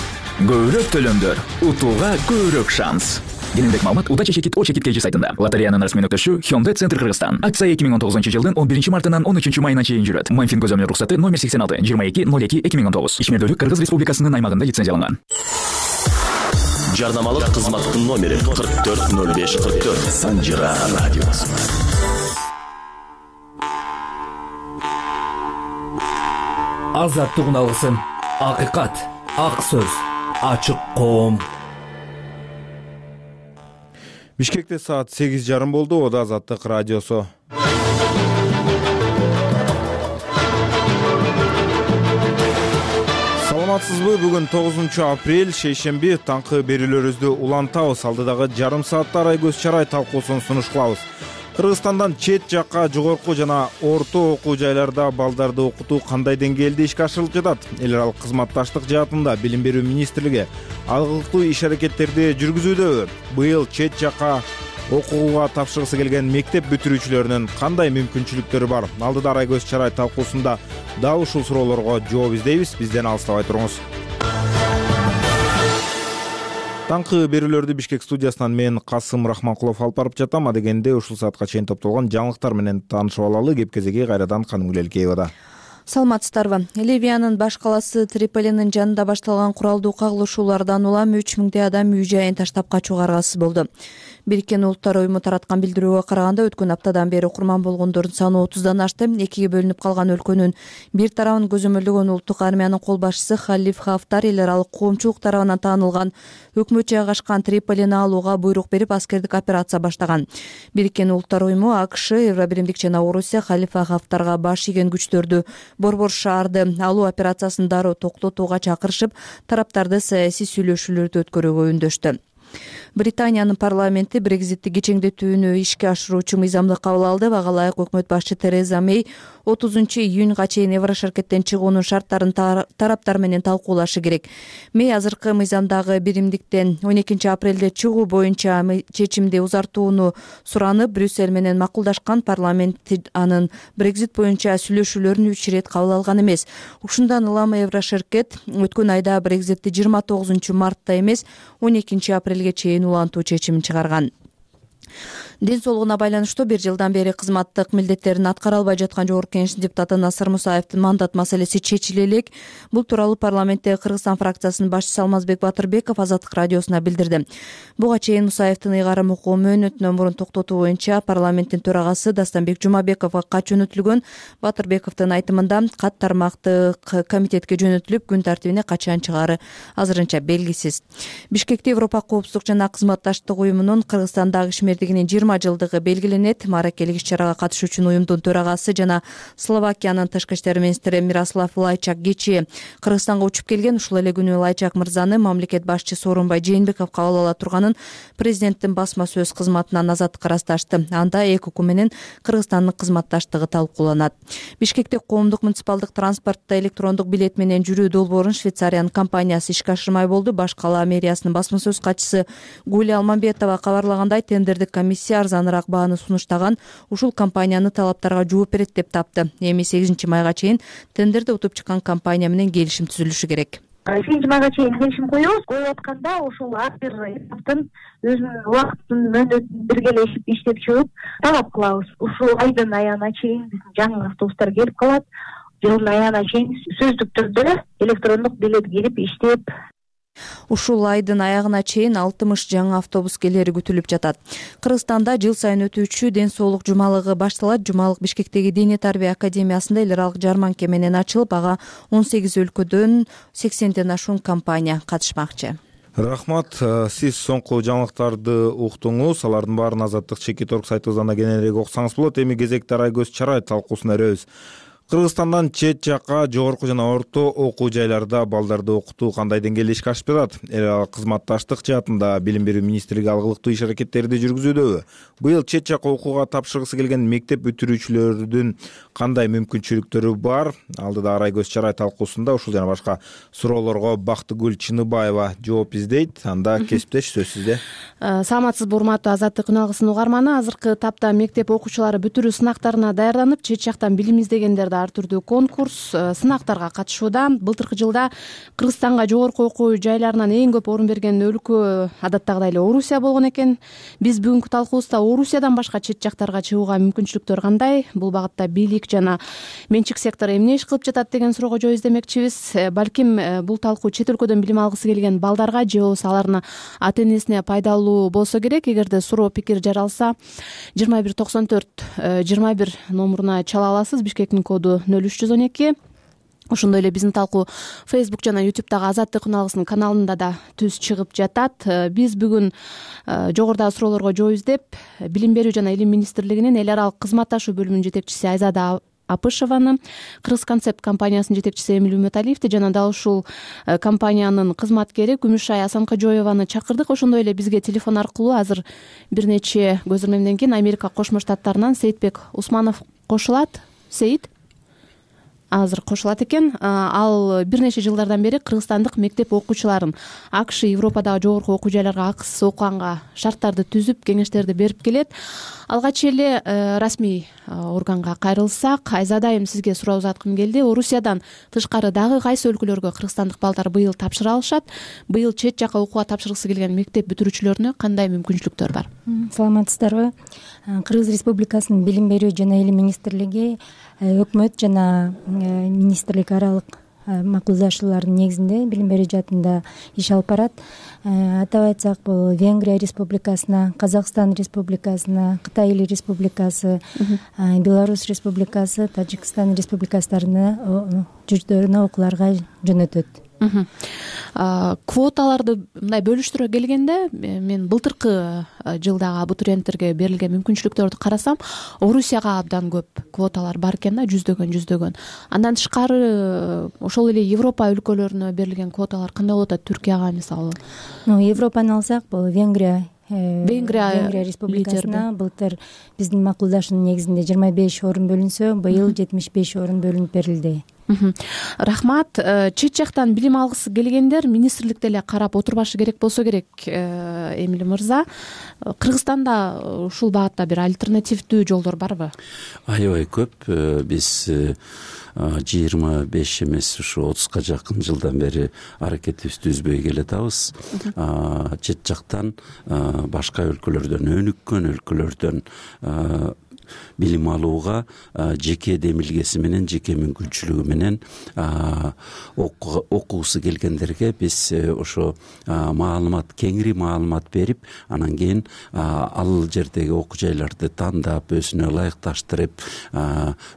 көбүрөөк төлөмдөр, утууга көбүрөөк шанс. Кененирээк маалымат удача чекит о чекит kg сайтында. Лотереянын расмий нүктөшү Hyundai Центр Кыргызстан. Акция эки миң он тогузунчу жылдын он биринчи мартынан он үчүнчү майына чейин жүрөт. Майфин көзөмөл уруксаты номер сексен алты жыйырма эки ноль эки эки миң он тогуз. Ишмердүүлүк Кыргыз Республикасынын аймагында лицензияланган. Жарнамалык кызматтын номери кырк төрт ноль беш кырк төрт. Санжира радиосу. Азаттык алгысын, акыйкат, ак сөз, ачык коом. Бишкекте саат сегиз жарым болду. Ода Азаттык радиосу. Саламатсызбы? Бүгүн тогузунчу апрель, шейшемби. Таңкы берүүлөрүбүздү улантабыз. Алдыдагы жарым саатта Арай Көз Чарай талкуусун сунуш кылабыз. Кыргызстандан чет жакка жогорку жана орто окуу жайларда балдарды окутуу кандай деңгээлде ишке ашырылып жатат? Эл аралык кызматташтык жаатында Билим берүү министрлиги алгылыктуу иш-аракеттерди жүргүзүүдөбү? Быйыл чет жакка окууга тапшыргысы келген мектеп бүтүрүүчүлөрүнүн кандай мүмкүнчүлүктөрү бар? Алдыда Арай Көз Чарай талкуусунда дал ушул суроолорго жооп издейбиз. Бизден алыстабай туруңуз. Таңкы берүүлөрдү Бишкек студиясынан мен Касым Рахманкулов алып барып жатам. Адегенде ушул саатка чейин топтолгон жаңылыктар менен таанышып алалы. Кеп-кезеги кайрадан Канымгүл Элкеевада. Саламатсыздарбы? Ливиянын баш калаасы Триполинин жанында башталган куралдуу кагылышуулардан улам үч миңдей адам үй жайын таштап качууга аргасыз болду. Бириккен Улуттар уюму тараткан билдирүүгө караганда өткөн аптадан бери курман болгондордун саны отуздан ашты. Экиге бөлүнүп калган өлкөнүн бир тарабын көзөмөлдөгөн улуттук армиянын кол башчысы Халиф Хафтар эл аралык коомчулук тарабынан таанылган өкмөт жайгашкан Триполини алууга буйрук берип, аскердик операция баштаган. Бириккен Улуттар уюму, АКШ, Евробиримдик жана Орусия Халифа Хафтарга баш ийген күчтөрдү Борбор шаарды алуу операциясын дароо токтотууга чакырышып, тараптарды саясий сүйлөшүүлөрдү өткөрүүгө үндөштү. Британиянын парламенти Брекзитти кечеңдетүүнү ишке ашыруучу мыйзамды кабыл алды. Ага ылайык өкмөт башчы Тереза Мэй отузунчу июнга чейин Еврошеркеттен чыгуунун шарттарын тараптар менен талкуулашы керек. Мэй азыркы мыйзамдагы биримдиктен он экинчи апрелде чыгуу боюнча чечимди узартууну суранып, Брюссель менен макулдашкан. Парламент анын Брекзит боюнча сүйлөшүүлөрүн үч ирет кабыл алган эмес. Ушундан улам Еврошеркет өткөн айда Брекзитти жыйырма тогузунчу мартта эмес, он экинчи апрелге чейин улантуу чечимин чыгарган. Ден соолугуна байланыштуу бир жылдан бери кызматтык милдеттерин аткара албай жаткан Жогорку Кеңештин депутаты Насыр Мусаевдин мандат маселеси чечиле элек. Бул тууралуу парламенттеги Кыргызстан фракциясынын башчысы Алмазбек Батырбеков Азаттык радиосуна билдирди. Буга чейин Мусаевдин ыйгарым окуу мөөнөтүнөн мурун токтотуу боюнча парламенттин төрагасы Дастанбек Жумабековго кат жөнөтүлгөн. Батырбековдун айтымында кат тармактык комитетке жөнөтүлүп, күн тартибине качан чыгаары азырынча белгисиз. Бишкекте Европа коопсуздук жана кызматташтык уюмунун Кыргызстандагы ишмердигинин жыйырма жылдыгы белгиленет. Маракелик иш-чарага катышуучу уюмдун төрагасы жана Словакиянын тышкы иштер министри Мирослав Лайчак кечээ Кыргызстанга учуп келген. Ушул эле күнү Лайчак мырзаны мамлекет башчысы Сооронбай Жээнбеков кабыл ала турганын президенттин басма сөз кызматынан Азаттыкка ырасташты. Анда эки укук менен Кыргызстандын кызматташтыгы талкууланат. Бишкекте коомдук муниципалдык транспортто электрондук билет менен жүрүү долбоорун Швейцариянын компаниясы ишке ашырмай болду. Баш кала мэриясынын басма сөз катчысы Гулия Алмамбетова кабарлагандай, тендердик комиссия арзаныраак бааны сунуштаган. Ушул компанияны талаптарга жооп берет деп тапты. Эми сегизинчи майга чейин тендерди утуп чыккан компания менен келишим түзүлүшү керек. сегизинчи майга чейин келишим коебуз. Коюп атканда ушул ар бир этаптын өзүнүн убактын мөөнөтүн биргелешип иштеп чыгып талап кылабыз. Ушул айдын аягына чейин биздин жаңы автобустар келип калат. Жылдын аягына чейин сөздүк түрдө электрондук билет кирип иштеп. Ушул айдын аягына чейин алтымыш жаңы автобус келери күтүлүп жатат. Кыргызстанда жыл сайын өтүүчү ден соолук жумалыгы башталат. Жумалык Бишкектеги Диний тарбия академиясында эл аралык жарманка менен ачылып, ага он сегиз өлкөдөн сексенден ашуун компания катышмакчы. Рахмат, сиз соңку жаңылыктарды уктуңуз. Алардын баарын Азаттык чекит орг сайтыбыздан кененирээк окусаңыз болот. Эми кезекте Арай Көз Чарай талкуусуна өрөбүз. Кыргызстандан чет жакка жогорку жана орто окуу жайларда балдарды окутуу кандай деңгээлде ишке ашып жатат? Эл аралык кызматташтык жаатында Билим берүү министрлиги алгылыктуу иш-аракеттерди жүргүзүүдөбү? Быйыл чет жакка окууга тапшыргысы келген мектеп бүтүрүүчүлөрдүн кандай мүмкүнчүлүктөрү бар? Алдыда Арай Көз Чарай талкуусунда ушул жана башка суроолорго Бактыгүл Чыныбаева жооп издейт. Анда кесиптеш сөз сизде. Саламатсызбы, урматтуу Азаттык күн алгысынын угарманы. Азыркы тапта мектеп окуучулары бүтүрүү сынактарына даярданып, чет жактан билим издегендерди ар түрдүү конкурс, сынактарга катышууда. Былтыркы жылда Кыргызстанга жогорку окуу жайларынан эң көп орун берген өлкө адаттагыдай эле Орусия болгон экен. Биз бүгүнкү талкуубузда Орусиядан башка чет жактарга чыгууга мүмкүнчүлүктөр кандай, бул багытта бийлик жана менчик сектор эмне иш кылып жатат деген суроого жооп издемекчибиз. Балким бул талкуу чет өлкөдөн билим алгысы келген балдарга же болбосо алардын ата энесине пайдалуу болсо керек. Эгерде суроо пикир жаралса, жыйырма бир токсон төрт жыйырма бир номуруна чала аласыз. Бишкектин коду нөл үч жүз он эки. Ошондой эле биздин талкуу Facebook жана YouTube'дагы Азаттык үн алгысынын каналында да түз чыгып жатат. Биз бүгүн жогорудагы суроолорго жооп издеп, Билим берүү жана илим министрлигинин эл аралык кызматташуу бөлүмүнүн жетекчиси Айзада Апышеваны, Кыргыз концепт компаниясынын жетекчиси Эмиль Үмөталиевди жана дал ушул компаниянын кызматкери Күмүшай Асанкажоеваны чакырдык. Ошондой эле бизге телефон аркылуу азыр бир нече көз ирмемден кийин Америка Кошмо Штаттарынан Сейитбек Усманов кошулат. Сейит азыр кошулат экен. Ал бир нече жылдардан бери кыргызстандык мектеп окуучуларын АКШ, Европадагы жогорку окуу жайларга акысыз окуганга шарттарды түзүп, кеңештерди берип келет. Алгач эле расмий органга кайрылсак, Айзада айым сизге суроо узаткым келди. Орусиядан тышкары дагы кайсы өлкөлөргө кыргызстандык балдар быйыл тапшыра алышат? Быйыл чет жака окууга тапшыргысы келген мектеп бүтүрүүчүлөрүнө кандай мүмкүнчүлүктөр бар? Саламатсыздарбы? Кыргыз Республикасынын Билим берүү жана илим министрлиги өкмөт жана министрлик аралык макулдашуулардын негизинде билим берүү жаатында иш алып барат. Атап айтсак, бул Венгрия Республикасына, Казакстан Республикасына, Кытай Республикасы, Беларусь Республикасы, Тажикстан Республикасына журттарына окууларга жөнөтөт. Квоталарды мындай бөлүштүрө келгенде, мен былтыркы жылдагы абитуриенттерге берилген мүмкүнчүлүктөрдү карасам, Орусияга абдан көп квоталар бар экен да, жүздөгөн жүздөгөн. Андан тышкары ошол эле Европа өлкөлөрүнө берилген квоталар кандай болот? Түркияга мисалы. Европаны алсак, бул Венгрия Венгрия Венгрия Республикасына былтыр биздин макулдашуунун негизинде жыйырма беш орун бөлүнсө, быйыл жетимиш беш орун бөлүнүп берилди. Рахмат. Чет жактан билим алгысы келгендер министрликте эле карап отурбашы керек болсо керек. Эмиль мырза, Кыргызстанда ушул багытта бир альтернативдүү жолдор барбы? Аябай көп. Биз жыйырма беш эмес, ушу отузга жакын жылдан бери аракетибизди үзбөй келатабыз. Чет жактан, башка өлкөлөрдөн, өнүккөн өлкөлөрдөн билим алууга жеке демилгеси менен, жеке мүмкүнчүлүгү менен окугусу келгендерге биз ошо маалымат, кеңири маалымат берип, анан кийин ал жердеги окуу жайларды тандап, өзүнө ылайыкташтырып,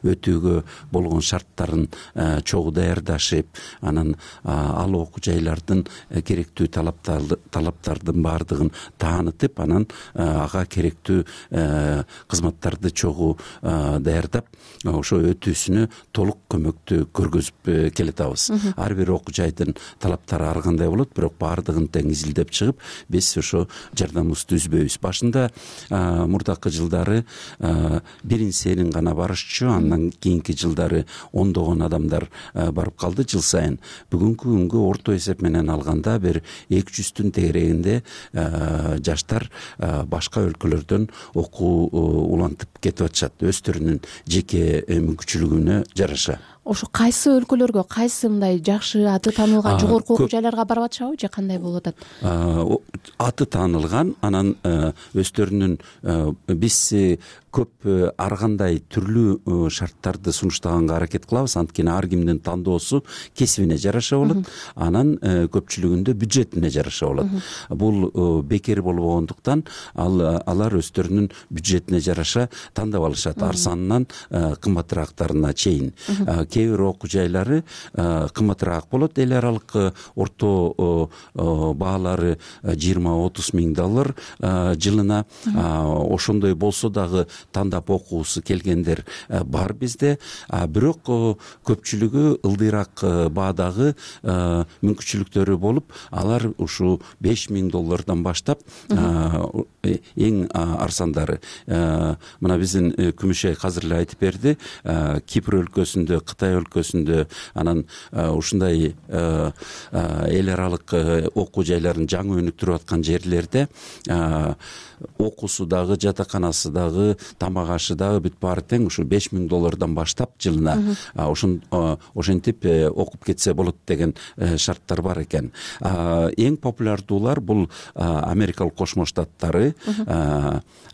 өтүүгө болгон шарттарын чогуу даярдашып, анан ал окуу жайлардын керектүү талаптардын баардыгын таанытып, анан ага керектүү кызматтарды чогуу даярдап, ошо өтүүсүнө толук көмөктү көргөзүп келатабыз. Ар бир окуу жайдын талаптары ар кандай болот, бирок баардыгын тең изилдеп чыгып, биз ошо жардамыбызды үзбөйбүз. Башында мурдакы жылдары бирин сенин гана барышчу, андан кийинки жылдары ондогон адамдар барып калды жыл сайын. Бүгүнкү күнгө орто эсеп менен алганда бир эки жүздүн тегерегинде жаштар башка өлкөлөрдөн окуу улантып кетип атышат, өздөрүнүн жеке мүмкүнчүлүгүнө жараша. Ошо кайсы өлкөлөргө, кайсы мындай жакшы аты таанылган жогорку окуу жайларга барып атышабы же кандай болуп атат? Аты таанылган, анан өздөрүнүн биз көп ар кандай түрлүү шарттарды сунуштаганга аракет кылабыз, анткени ар кимдин тандоосу кесибине жараша болот, анан көпчүлүгүндө бюджетине жараша болот. Бул бекер болбогондуктан алар өздөрүнүн бюджетине жараша тандап алышат, арзанынан кымбатыраактарына чейин. Кээ бир окуу жайлары кымбатыраак болот, эл аралык орто баалары жыйырма отуз миң доллар жылына. Ошондой болсо дагы тандап окуусу келгендер бар бизде, бирок көпчүлүгү ылдыйраак баадагы мүмкүнчүлүктөрү болуп, алар ушу беш миң доллардан баштап эң арзандары. Мына биздин Күмүшай азыр эле айтып берди, Кипр өлкөсүндө, Кытай Кытай өлкөсүндө анан ушундай эл аралык окуу жайларын жаңы өнүктүрүп аткан жерлерде окуусу дагы, жатаканасы дагы, тамак ашы дагы бүт баары тең ушу беш миң доллардан баштап жылына ошентип окуп кетсе болот деген шарттар бар экен. Эң популярдуулар бул Америкалык Кошмо Штаттары,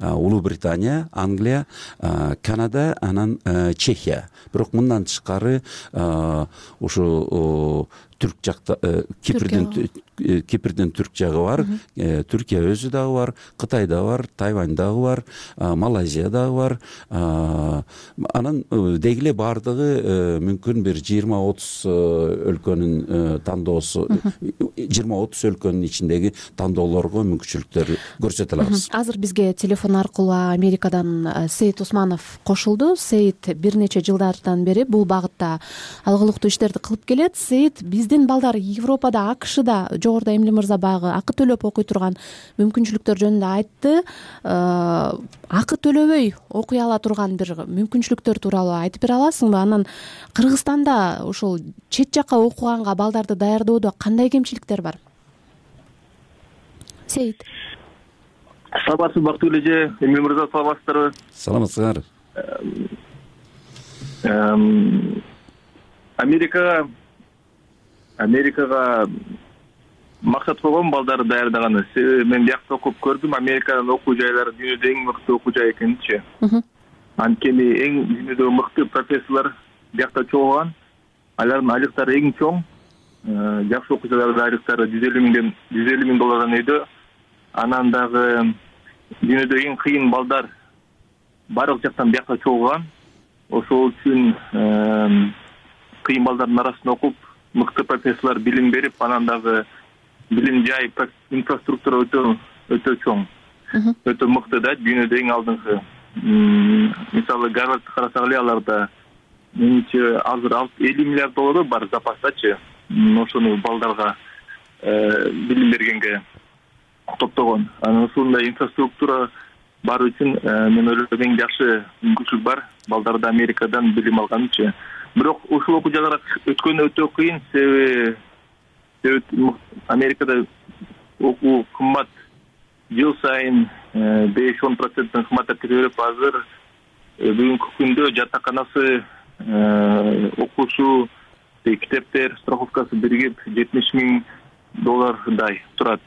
Улуу Британия, Англия, Канада, анан Чехия. Бирок мындан тышкары ушу түрк жакта Кипрдин Кипрдин түрк жагы бар, Түркия өзү дагы бар, Кытайда бар, Тайвань дагы бар, Малайзия дагы бар. Анан деги эле баардыгы мүмкүн бир жыйырма отуз өлкөнүн тандоосу, жыйырма отуз өлкөнүн ичиндеги тандоолорго мүмкүнчүлүктөр көрсөтө алабыз. Азыр бизге телефон аркылуу Америкадан Сейит Усманов кошулду. Сейит бир нече жылдардан бери бул багытта алгылыктуу иштерди кылып келет. Сейит, биздин балдар Европада, АКШда жогоруда Эмиль мырза баягы акы төлөп окуй турган мүмкүнчүлүктөр жөнүндө айтты. Акы төлөбөй окуй ала турган бир мүмкүнчүлүктөр тууралуу айтып бере аласыңбы? Анан Кыргызстанда ушул чет жакка окуганга балдарды даярдоодо кандай кемчиликтер бар? Сейит. Саламатсызбы, бактылуу эже, Эмиль мырза, саламатсыздарбы? Саламатсыздар. Америкага Америкага максат койгон балдарды даярдаганы. Себеби мен биякта окуп көрдүм, Американын окуу жайлары дүйнөдө эң мыкты окуу жай экенинчи. Анткени эң дүйнөдөгү мыкты профессорлор биякта чогулган. Алардын айлыктары эң чоң. Жакшы окуу жайлардын айлыктары жүз элүү миңден жүз элүү миң доллардан өйдө. Анан дагы дүйнөдө эң кыйын балдар баардык жактан биякта чогулган. Ошол үчүн кыйын балдардын арасында окуп, мыкты профессорлор билим берип, анан дагы билим жай инфраструктура өтө өтө чоң, өтө мыкты да, дүйнөдө эң алдыңкы. Мисалы Гарвардты карасак эле, аларда менимче азыр элүү миллиард доллар бар запастачы, ошону балдарга билим бергенге топтогон. Анан ушундай инфраструктура бар үчүн мен ойлойм эң жакшы мүмкүнчүлүк бар балдарды Америкадан билим алганычы. Бирок ушул окуу жайларга өткөнү өтө кыйын, себеби Америкада окуу кымбат, жыл сайын беш он проценттен кымбаттап кете берип, азыр бүгүнкү күндө жатаканасы, окуусу, китептер, страховкасы биригип жетимиш миң доллардай турат.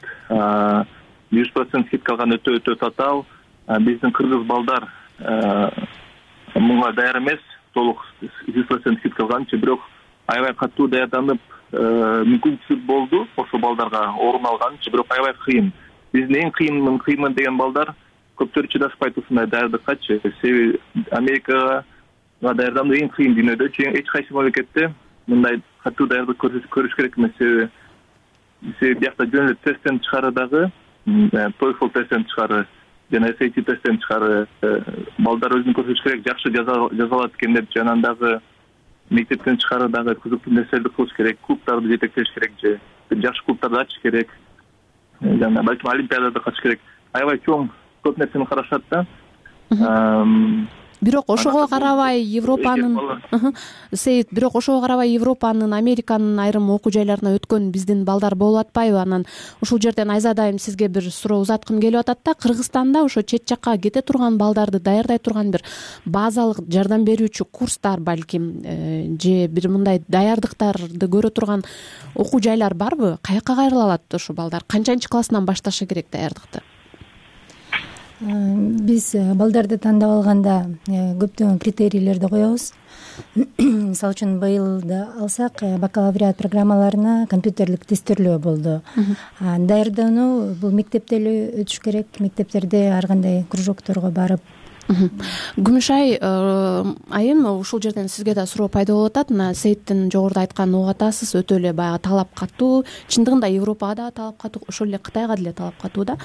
жүз процент скидка алган өтө өтө татаал. Биздин кыргыз балдар муга даяр эмес, толук жүз процент скидка алганчы, бирок аябай катуу даярданып, мүмкүнчүлүк болду ошол балдарга орун алганчы, бирок аябай кыйын. Биздин эң кыйын кыйын деген балдар көптөр чыдаспайт ушундай даярдыккачы. Себеби Америкага даярдануу эң кыйын дүйнөдө. Эч кайсы мамлекетте мындай катуу даярдык көрүш керек эмес. Себеби себеби биякта жөн эле тесттен тышкары дагы, TOEFL тесттен тышкары жана эс эй ти тесттен тышкары балдар өзүн көрсөтүш керек, жакшы жазалат экен деп, анан дагы мектептен тышкары дагы кызыктуу нерселерди кылыш керек, клубтарды жетектеш керек, же жакшы клубтарды ачыш керек, жана балким олимпиадада катышыш керек. Аябай чоң көп нерсени карашат да. Бирок ошого карабай Европанын Сейит, бирок ошого карабай Европанын, Американын айрым окуу жайларына өткөн биздин балдар болуп атпайбы? Анан ушул жерден Айзадайым сизге бир суроо узаткым келип атат да. Кыргызстанда ошо чет жакка кете турган балдарды даярдай турган бир базалык жардам берүүчү курстар балким, же бир мындай даярдыктарды көрө турган окуу жайлар барбы? Каяка кайрыла алат ошо балдар? Канчанчы классынан башташы керек даярдыкты? Биз балдарды тандап алганда көптөгөн критерийлерди коебуз. Мисалы үчүн быйылды алсак, бакалавриат программаларына компьютерлик тестирлөө болду. Даярдануу бул мектепте эле өтүш керек, мектептерде ар кандай кружокторго барып. Күмүшай айым, ушул жерден сизге да суроо пайда болуп атат. Мына Сейиттин жогоруда айтканын угуп атасыз, өтө эле баягы талап катуу, чындыгында Европага да талап катуу, ошол эле Кытайга деле талап катуу да.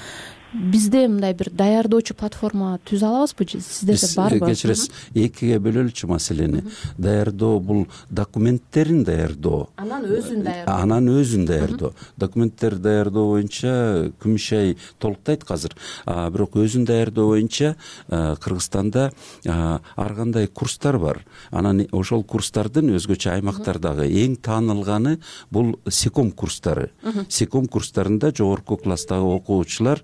бизде мындай бир даярдоочу платформа түзө алабызбы? Сиздерде барбы? Кечиресиз, экиге бөлөлүчү маселени. Даярдоо бул документтерин даярдоо, анан өзүн даярдоо. Анан өзүн даярдоо. Документтер даярдоо боюнча Күмүшай толуктайт азыр. Бирок өзүн даярдоо боюнча Кыргызстанда ар кандай курстар бар. Анан ошол курстардын өзгөчө аймактардагы эң таанылганы бул секом курстары. Секом курстарында жогорку класстагы окуучулар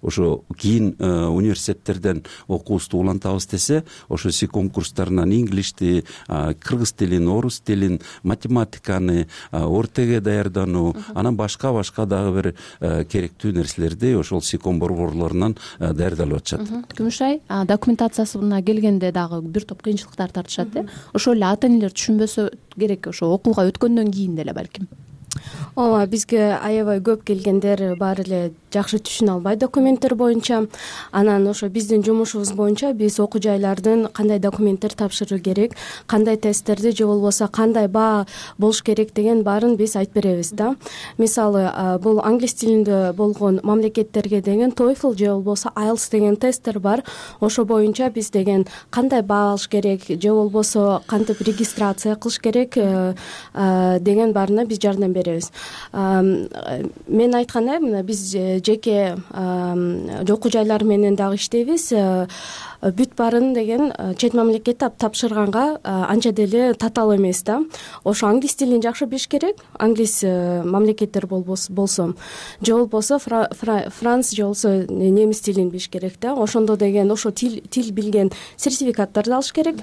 ошо кийин университеттерден окуусу улантабыз десе, ошо секом курстарынан инглишти, кыргыз тилин, орус тилин, математиканы, ортеге даярдануу, анан башка башка дагы бир керектүү нерселерди ошол секом борборлорунан даярдалып атышат. Күмүшай, документациясына келгенде дагы бир топ кыйынчылыктар тартышат э. Ошол эле ата энелер түшүнбөсө керек, ошо окууга өткөндөн кийин деле балким. Ооба, бизге аябай көп келгендер баары эле жакшы түшүнө албайт документтер боюнча. Анан ошо биздин жумушубуз боюнча биз окуу жайлардын кандай документтер тапшыруу керек, кандай тесттерди же болбосо кандай баа болуш керек деген баарын биз айтып беребиз да. Мисалы, бул англис тилинде болгон мамлекеттерге деген TOEFL же болбосо айлтс деген тесттер бар. Ошо боюнча биз деген кандай баа алыш керек же болбосо кантип регистрация кылыш керек деген баарына биз жардам беребиз. Мен айткандай, мына биз жеке окуу жайлар менен дагы иштейбиз. Бүт баарын деген чет мамлекетте тапшырганга анча деле татаал эмес да. Ошо англис тилин жакшы билиш керек, англис мамлекеттер болсо, же болбосо франц же болбосо немис тилин билиш керек да. Ошондо деген ошо тил тил билген сертификаттарды алыш керек.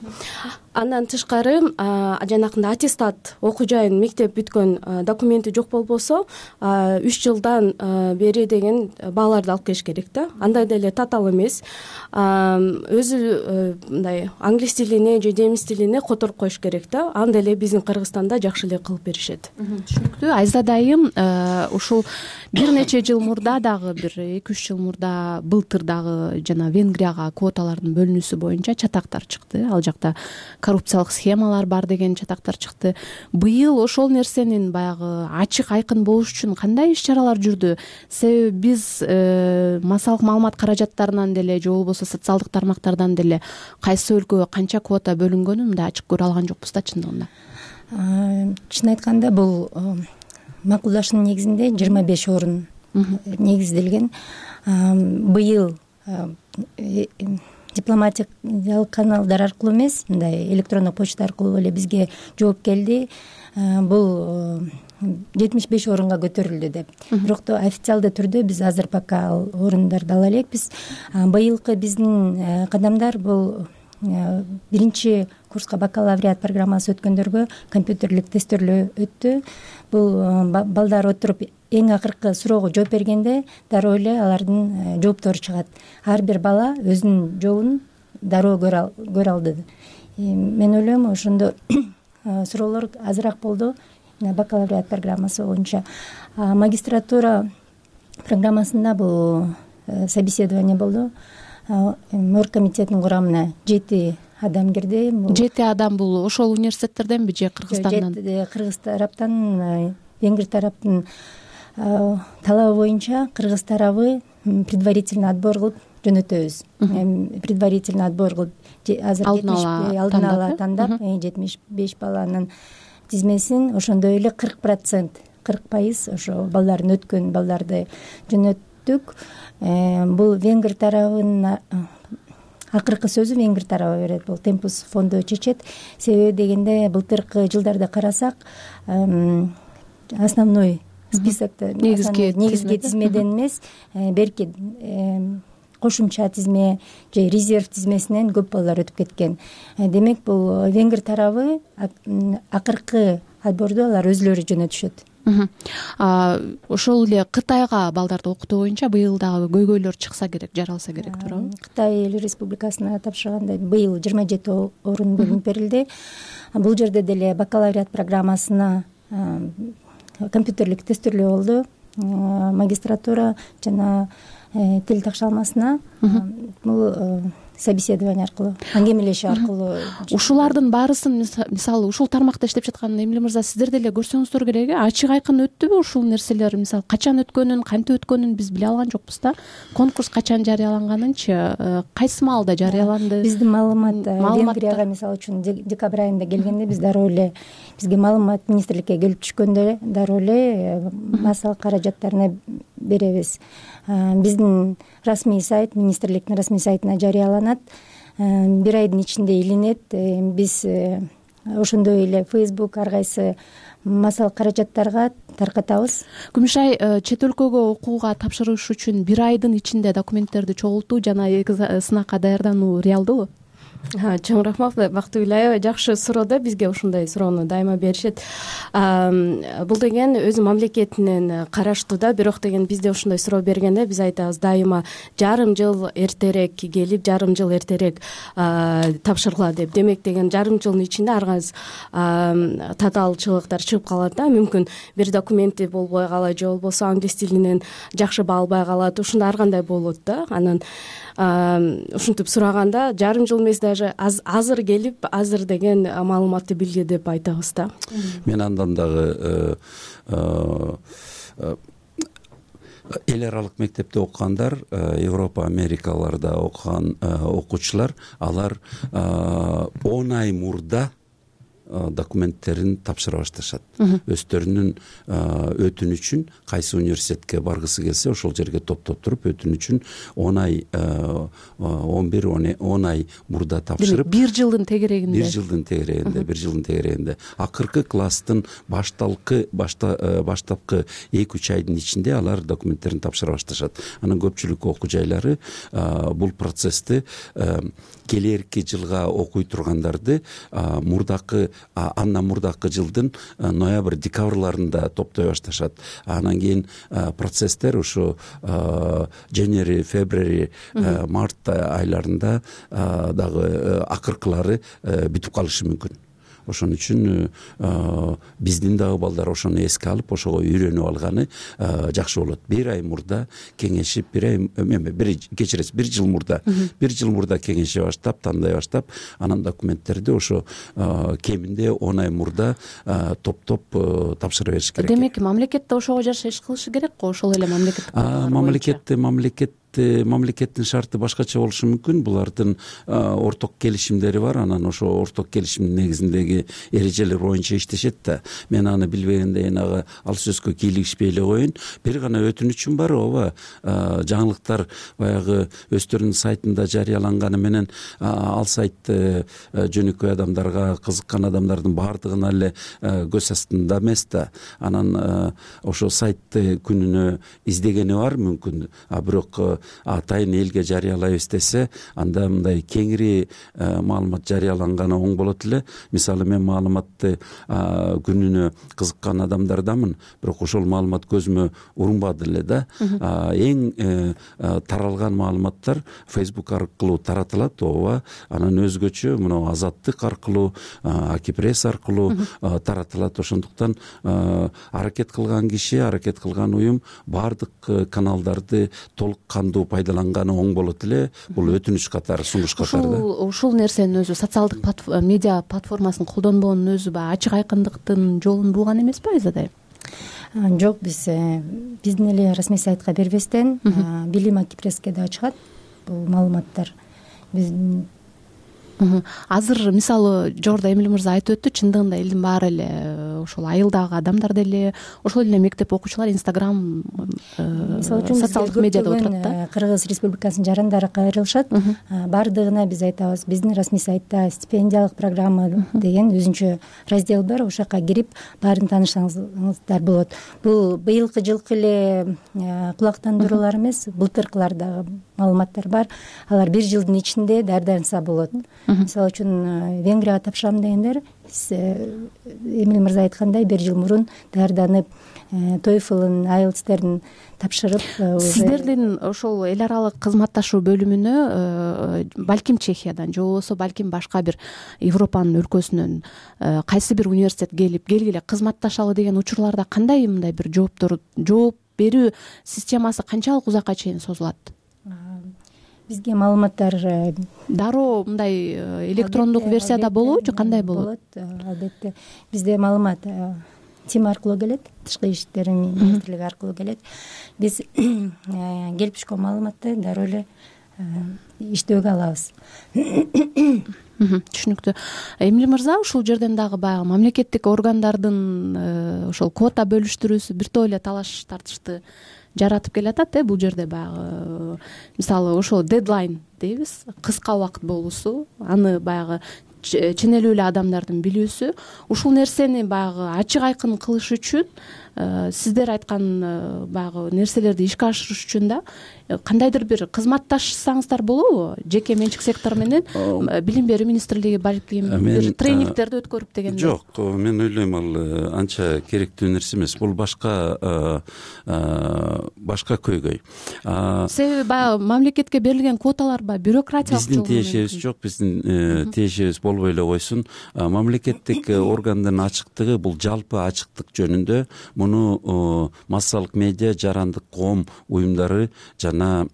Андан тышкары жанакындай аттестат, окуу жайын мектеп бүткөн документи жок болбосо, үч жылдан бери деген бааларды алып келиш керек да. Андай деле татаал эмес. Өзү мындай англис тилине же немис тилине которуп коюш керек да. Анда эле биздин Кыргызстанда жакшы эле кылып беришет. Түшүнүктүү. Айзада айым, ушул бир нече жыл мурда дагы, бир эки үч жыл мурда, былтыр дагы жана Венгрияга квоталардын бөлүнүүсү боюнча чатактар чыкты. Ал жакта коррупциялык схемалар бар деген чатактар чыкты. Быйыл ошол нерсенин баягы ачык айкын болуш үчүн кандай иш-чаралар жүрдү? Себеби биз массалык маалымат каражаттарынан деле же болбосо социалдык тармактардан деле кайсы өлкөгө канча квота бөлүнгөнүн мындай ачык көрө алган жокпуз да чындыгында. Чын айтканда, бул макулдашуунун негизинде жыйырма беш орун негизделген. Быйыл дипломатиялык каналдар аркылуу эмес, мындай электрондук почта аркылуу эле бизге жооп келди. Бул жетимиш беш орунга көтөрүлдү деп. Бирок официалдуу түрдө биз азыр пока ал орундарды ала элекпиз. Быйылкы биздин кадамдар бул биринчи курска бакалавриат программасы өткөндөргө компьютерлик тестөөлөө өттү. Бул балдар отуруп эң акыркы суроого жооп бергенде дароо эле алардын жооптору чыгат. Ар бир бала өзүнүн жообун дароо көрө алды. Мен ойлойм, ошондо суроолор азыраак болду бакалавриат программасы боюнча. Магистратура программасында бул собеседование болду. Оргкомитеттин курамына жети адам кирди. Жети адам бул ошол университеттерденби же Кыргызстандан? Кыргыз тараптан, Венгр тараптын талабы боюнча кыргыз тарабы предварительный отбор кылып жөнөтөбүз. Предварительный отбор кылып азыр алдын ала тандап жетимиш беш баланын тизмесин, ошондой эле кырк процент, кырк пайыз ошо балдардын өткөн балдарды жөнөттүк. Бул Венгр тарабынын акыркы сөзү Венгр тарабы берет. Бул Темпус фонду чечет. Себеби дегенде былтыркы жылдарды карасак, основной списокто негизги тизмеден эмес, берки кошумча тизме же резерв тизмесинен көп балдар өтүп кеткен. Демек, бул Венгр тарабы акыркы отборду алар өзүлөрү жөнөтүшөт. Ошол эле Кытайга балдарды окутуу боюнча быйыл дагы көйгөйлөр чыкса керек, жаралса керек, туурабы? Кытай эл республикасына тапшырганда быйыл жыйырма жети орун бөлүнүп берилди. Бул жерде деле бакалавриат программасына компьютерлик тестөөлөө болду. Магистратура жана тил такшалмасына бул собеседование аркылуу, аңгемелешүү аркылуу. Ушулардын баарысын мисалы ушул тармакта иштеп жаткан Эмиль мырза сиздер деле көрсөңүздөр керек э ачык айкын өттүбү ушул нерселер? Мисалы качан өткөнүн, кантип өткөнүн биз биле алган жокпуз да. Конкурс качан жарыяланганынчы, кайсы маалда жарыяланды? Биздин маалымат Венгрияга мисалы үчүн декабрь айында келгенде биз дароо эле бизге маалымат министрликке келип түшкөндө дароо эле массалык каражаттарына беребиз. Биздин расмий сайт, министрликтин расмий сайтына жарыяланат, бир айдын ичинде илинет. Биз ошондой эле Facebook ар кайсы массалык каражаттарга таркатабыз. Күмүшай, чет өлкөгө окууга тапшырыш үчүн бир айдын ичинде документтерди чогултуу жана сынакка даярдануу реалдуубу? Чоң рахмат, Бактыгүл аябай жакшы суроо да, бизге ушундай суроону дайыма беришет. Бул деген өзү мамлекетинин караштуу да, бирок деген бизде ушундай суроо бергенде биз айтабыз дайыма жарым жыл эртерээк келип, жарым жыл эртерээк тапшыргыла деп. Демек деген жарым жылдын ичинде ар кайсы татаалчылыктар чыгып калат да. Мүмкүн бир документи болбой калат же болбосо англис тилинен жакшы баа албай калат. Ушундай ар кандай болот да. Анан ушинтип сураганда жарым жыл эмес, даже азыр келип, азыр деген маалыматты билди деп айтабыз да. Мен андан дагы эл аралык мектепте окугандар, Европа, Америкаларда окуган окуучулар, алар он ай мурда документтерин тапшыра башташат. Өздөрүнүн өтүнүчүн кайсы университетке баргысы келсе ошол жерге топтоп туруп өтүнүчүн он ай он бир он ай мурда тапшырып, бир жылдын тегерегинде бир жылдын тегерегинде бир жылдын тегерегинде акыркы класстын башталкы баштапкы эки үч айдын ичинде алар документтерин тапшыра башташат. Анан көпчүлүк окуу жайлары бул процессти келерки жылга окуй тургандарды мурдакы андан мурдакы жылдын ноябрь декабрларында топтой башташат. Анан кийин процесстер ушу January, February, март айларында дагы акыркылары бүтүп калышы мүмкүн. Ошон үчүн биздин дагы балдар ошону эске алып, ошого үйрөнүп алганы жакшы болот. Бир ай мурда кеңешип, бир ай эме, бир кечиресиз, бир жыл мурда, бир жыл мурда кеңеше баштап, тандай баштап, анан документтерди ошо кеминде он ай мурда топтоп тапшыра бериш керек. Демек, мамлекет да ошого жараша иш кылышы керек го, ошол эле мамлекет. Мамлекетте мамлекет мамлекеттин шарты башкача болушу мүмкүн. Булардын орток келишимдери бар, анан ошо орток келишимдин негизиндеги эрежелер боюнча иштешет да. Мен аны билбегенде ага ал сөзгө кийлигишпей эле коеюн. Бир гана өтүнүчүм бар, ооба, жаңылыктар баягы өздөрүнүн сайтында жарыяланганы менен ал сайтты жөнөкөй адамдарга, кызыккан адамдардын баардыгына эле көз астында эмес да. Анан ошо сайтты күнүнө издегени бар мүмкүн, а бирок атайын элге жарыялайбыз десе, анда мындай кеңири маалымат жарыяланганы оң болот эле. Мисалы, мен маалыматты күнүнө кызыккан адамдардамын, бирок ошол маалымат көзүмө урунбады эле да. Эң таралган маалыматтар Facebook аркылуу таратылат, ооба. Анан өзгөчө мына Азаттык аркылуу, Акипресс аркылуу таратылат. Ошондуктан аракет кылган киши, аракет кылган уюм баардык каналдарды толук кандуу пайдаланганы оң болот эле. Бул өтүнүч катары, сунуш катары да. Ушул нерсенин өзү, социалдык медиа платформасын колдонбоонун өзү баягы ачык айкындыктын жолун бууган эмеспи Айзадай? Жок, биз биздин эле расмий сайтка бербестен Билим Акипресске да чыгат бул маалыматтар. Биз азыр мисалы жогоруда Эмиль мырза айтып өттү, чындыгында элдин баары эле ошол айылдагы адамдар деле, ошол эле мектеп окуучулар Instagram социалдык медиада отурат да. Кыргыз Республикасынын жарандары кайрылышат. Баардыгына биз айтабыз, биздин расмий сайтта стипендиялык программа деген өзүнчө раздел бар, ошол жака кирип баарын таанышсаңыздар болот. Бул быйылкы жылкы эле кулактандыруулар эмес, былтыркылар дагы маалыматтар бар. Алар бир жылдын ичинде даярданса болот. Мисалы үчүн Венгрияга тапшырам дегендер, Эмиль мырза айткандай, бир жыл мурун даярданып, TOEFL-ын, айлтстерин тапшырып, сиздердин ошол эл аралык кызматташуу бөлүмүнө балким Чехиядан же болбосо балким башка бир Европанын өлкөсүнөн кайсы бир университет келип келгиле кызматташалы деген учурларда кандай мындай бир жооптор жооп берүү системасы канчалык узакка чейин созулат? бизге маалыматтар дароо мындай электрондук версияда болобучу, кандай болот? Албетте бизде маалымат тим аркылуу келет, тышкы иштер министрлиги аркылуу келет. Биз келип түшкөн маалыматты дароо эле иштөөгө алабыз. Түшүнүктүү. Эмиль мырза, ушул жерден дагы баягы мамлекеттик органдардын ошол квота бөлүштүрүүсү бир топ эле талаш тартышты жаратып келатат э бул жерде. Баягы мисалы ошол дедлайн дейбиз, кыска убакыт болуусу, аны баягы ченелүү эле адамдардын билүүсү, ушул нерсени баягы ачык айкын кылыш үчүн сиздер айткан баягы нерселерди ишке ашырыш үчүн да кандайдыр бир кызматташсаңыздар болобу? Жеке менчик сектор менен билим берүү министрлиги балким бир тренингдерди өткөрүп дегендей. Жок, мен ойлойм ал анча керектүү нерсе эмес. Бул башка башка көйгөй. Себеби баягы мамлекетке берилген квоталар баягы бюрократиялык жолдон. Биздин тиешебиз жок, биздин тиешебиз болбой эле койсун. Мамлекеттик органдын ачыктыгы бул жалпы ачыктык жөнүндө. Муну массалык медиа, жарандык коом уюмдары жана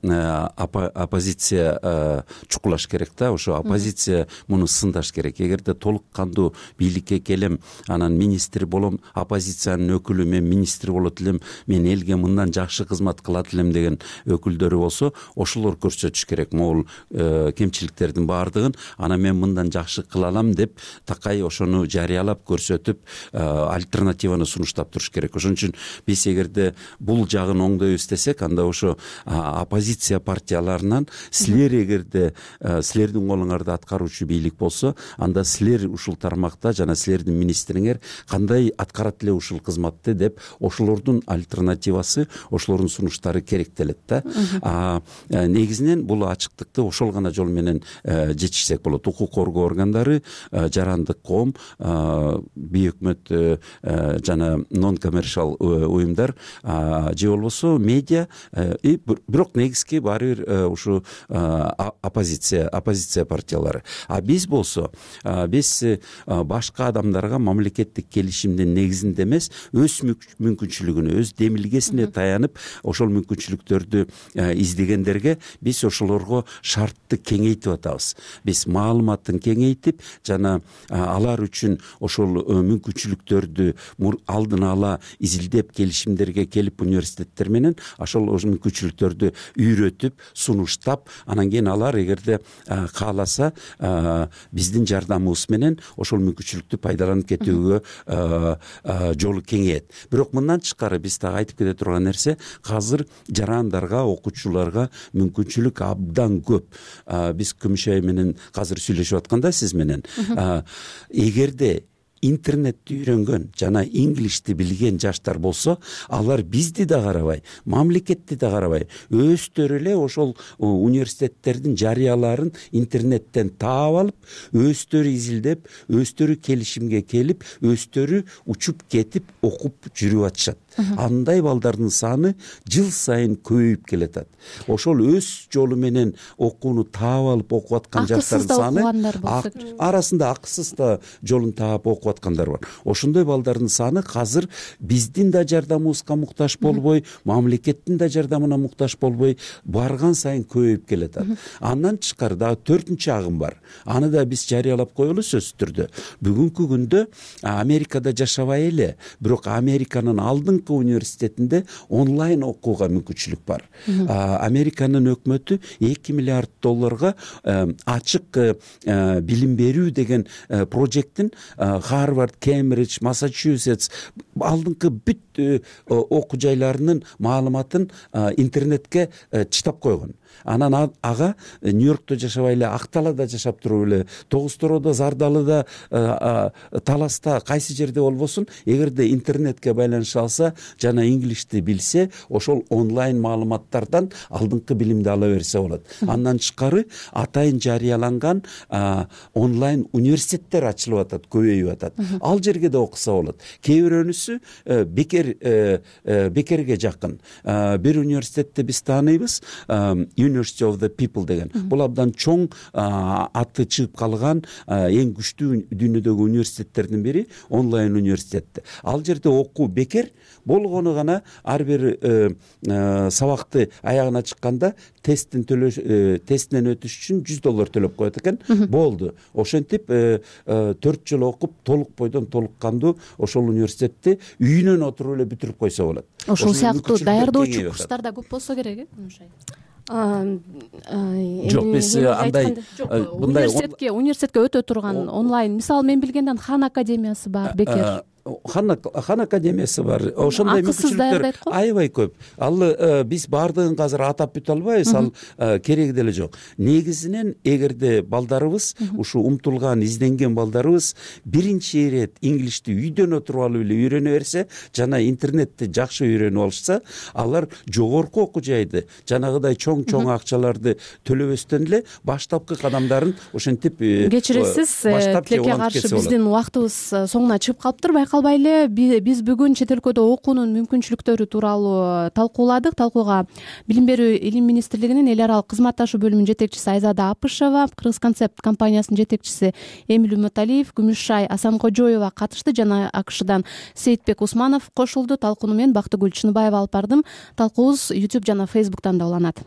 оппозиция чукулаш керек да. Ошо оппозиция муну сындаш керек. Эгерде толук кандуу бийликке келем, анан министр болом, оппозициянын өкүлү мен министр болот элем, мен элге мындан жакшы кызмат кылат элем деген өкүлдөрү болсо, ошолор көрсөтүш керек могул кемчиликтердин баардыгын. Анан мен мындан жакшы кыла алам деп такай ошону жарыялап көрсөтүп альтернативаны сунуштап туруш керек. Ошон үчүн биз эгерде бул жагын оңдойбуз десек, анда ошо оппозиция партияларынан силер эгерде силердин колуңарда аткаруучу бийлик болсо, анда силер ушул тармакта жана силердин министриңер кандай аткарат эле ушул кызматты деп ошолордун альтернативасы, ошолордун сунуштары керектелет да. Негизинен бул ачыктыкты ошол гана жол менен жетишсек болот. Укук коргоо органдары, жарандык коом, бейөкмөт жана нон коммерциал уюмдар же болбосо медиа, бирок негизги баары бир ушу оппозиция оппозиция партиялары. А биз болсо, биз башка адамдарга мамлекеттик келишимдин негизинде эмес, өз мүмкүнчүлүгүнө, өз демилгесине таянып, ошол мүмкүнчүлүктөрдү издегендерге биз ошолорго шартты кеңейтип атабыз. Биз маалыматын кеңейтип жана алар үчүн ошол мүмкүнчүлүктөрдү алдын ала изилдеп келишимдерге келип университеттер менен ошол мүмкүнчүлүктөрдү үйрөтүп, сунуштап, анан кийин алар эгерде кааласа биздин жардамыбыз менен ошол мүмкүнчүлүктү пайдаланып кетүүгө жолу кеңейет. Бирок мындан тышкары биз дагы айтып кете турган нерсе, азыр жарандарга, окуучуларга мүмкүнчүлүк абдан көп. Биз Күмүшай менен азыр сүйлөшүп атканда сиз менен, эгерде интернетти үйрөнгөн жана инглишти билген жаштар болсо, алар бизди да карабай, мамлекетти да карабай, өздөрү эле ошол университеттердин жарыяларын интернеттен таап алып, өздөрү изилдеп, өздөрү келишимге келип, өздөрү учуп кетип окуп жүрүп атышат. Андай балдардын саны жыл сайын көбөйүп келатат. Ошол өз жолу менен окууну таап алып окуп аткан жаштардын саны арасында акысыз да жолун таап окуп аткандар бар. Ошондой балдардын саны азыр биздин да жардамыбызга муктаж болбой, мамлекеттин да жардамына муктаж болбой барган сайын көбөйүп келатат. Андан тышкары дагы төртүнчү агым бар. Аны да биз жарыялап коелу сөзсүз түрдө. Бүгүнкү күндө Америкада жашабай эле, бирок Американын алдыңкы университетинде онлайн окууга мүмкүнчүлүк бар. Американын өкмөтү эки миллиард долларга ачык билим берүү деген прожекттин Харвард, Кембридж, Массачусетс алдыңкы бүт окуу жайларынын маалыматын интернетке чытап койгон. Анан ага Нью-Йоркто жашабай эле, Акталада жашап туруп эле, Тогуз Тороодо, Зардалыда, Таласта, кайсы жерде болбосун, эгерде интернетке байланыша алса жана инглишти билсе, ошол онлайн маалыматтардан алдыңкы билимди ала берсе болот. Андан тышкары атайын жарыяланган онлайн университеттер ачылып атат, көбөйүп атат. Ал жерге да окуса болот. Кээ бирөөнүсү бекер бекерге жакын. Бир университетти биз тааныйбыз, University of the People деген. Бул абдан чоң аты чыгып калган эң күчтүү дүйнөдөгү университеттердин бири, онлайн университет. Ал жерде окуу бекер болгону гана ар бир сабакты аягына чыкканда тесттин төлөө тестинен өтүш үчүн жүз доллар төлөп коет экен. Болду. Ошентип төрт жыл окуп толук бойдон толук кандуу ошол университетти үйүнөн отуруп эле бүтүрүп койсо болот. Ошол сыяктуу даярдоочу курстар да көп болсо керек, э? Жок, биз андай университетке университетке өтө турган онлайн, мисалы мен билгенден Хан академиясы бар, бекер. Хан Хан академиясы бар. Ошондой мүмкүнчүлүктөр аябай көп. Ал биз баардыгын азыр атап бүтө албайбыз, ал кереги деле жок. Негизинен эгерде балдарыбыз, ушу умтулган, изденген балдарыбыз биринчи ирет инглишти үйдөн отуруп алып эле үйрөнө берсе, жана интернетти жакшы үйрөнүп алышса, алар жогорку окуу жайды, жанагыдай чоң-чоң акчаларды төлөбөстөн эле баштапкы кадамдарын ошентип кечиресиз, тилекке каршы биздин убактыбыз соңуна чыгып калыптыр. Калбай эле биз бүгүн чет өлкөдө окуунун мүмкүнчүлүктөрү тууралуу талкууладык. Талкууга Билим берүү илим министрлигинин эл аралык кызматташуу бөлүмүнүн жетекчиси Айзада Апышева, Кыргыз концепт компаниясынын жетекчиси Эмил Үмүталиев, Күмүшай Асанкожоева катышты жана АКШдан Сейитбек Усманов кошулду. Талкууну мен Бактыгүл Чыныбаева алып бардым. Талкуубуз YouTube жана Facebook'тан да уланат.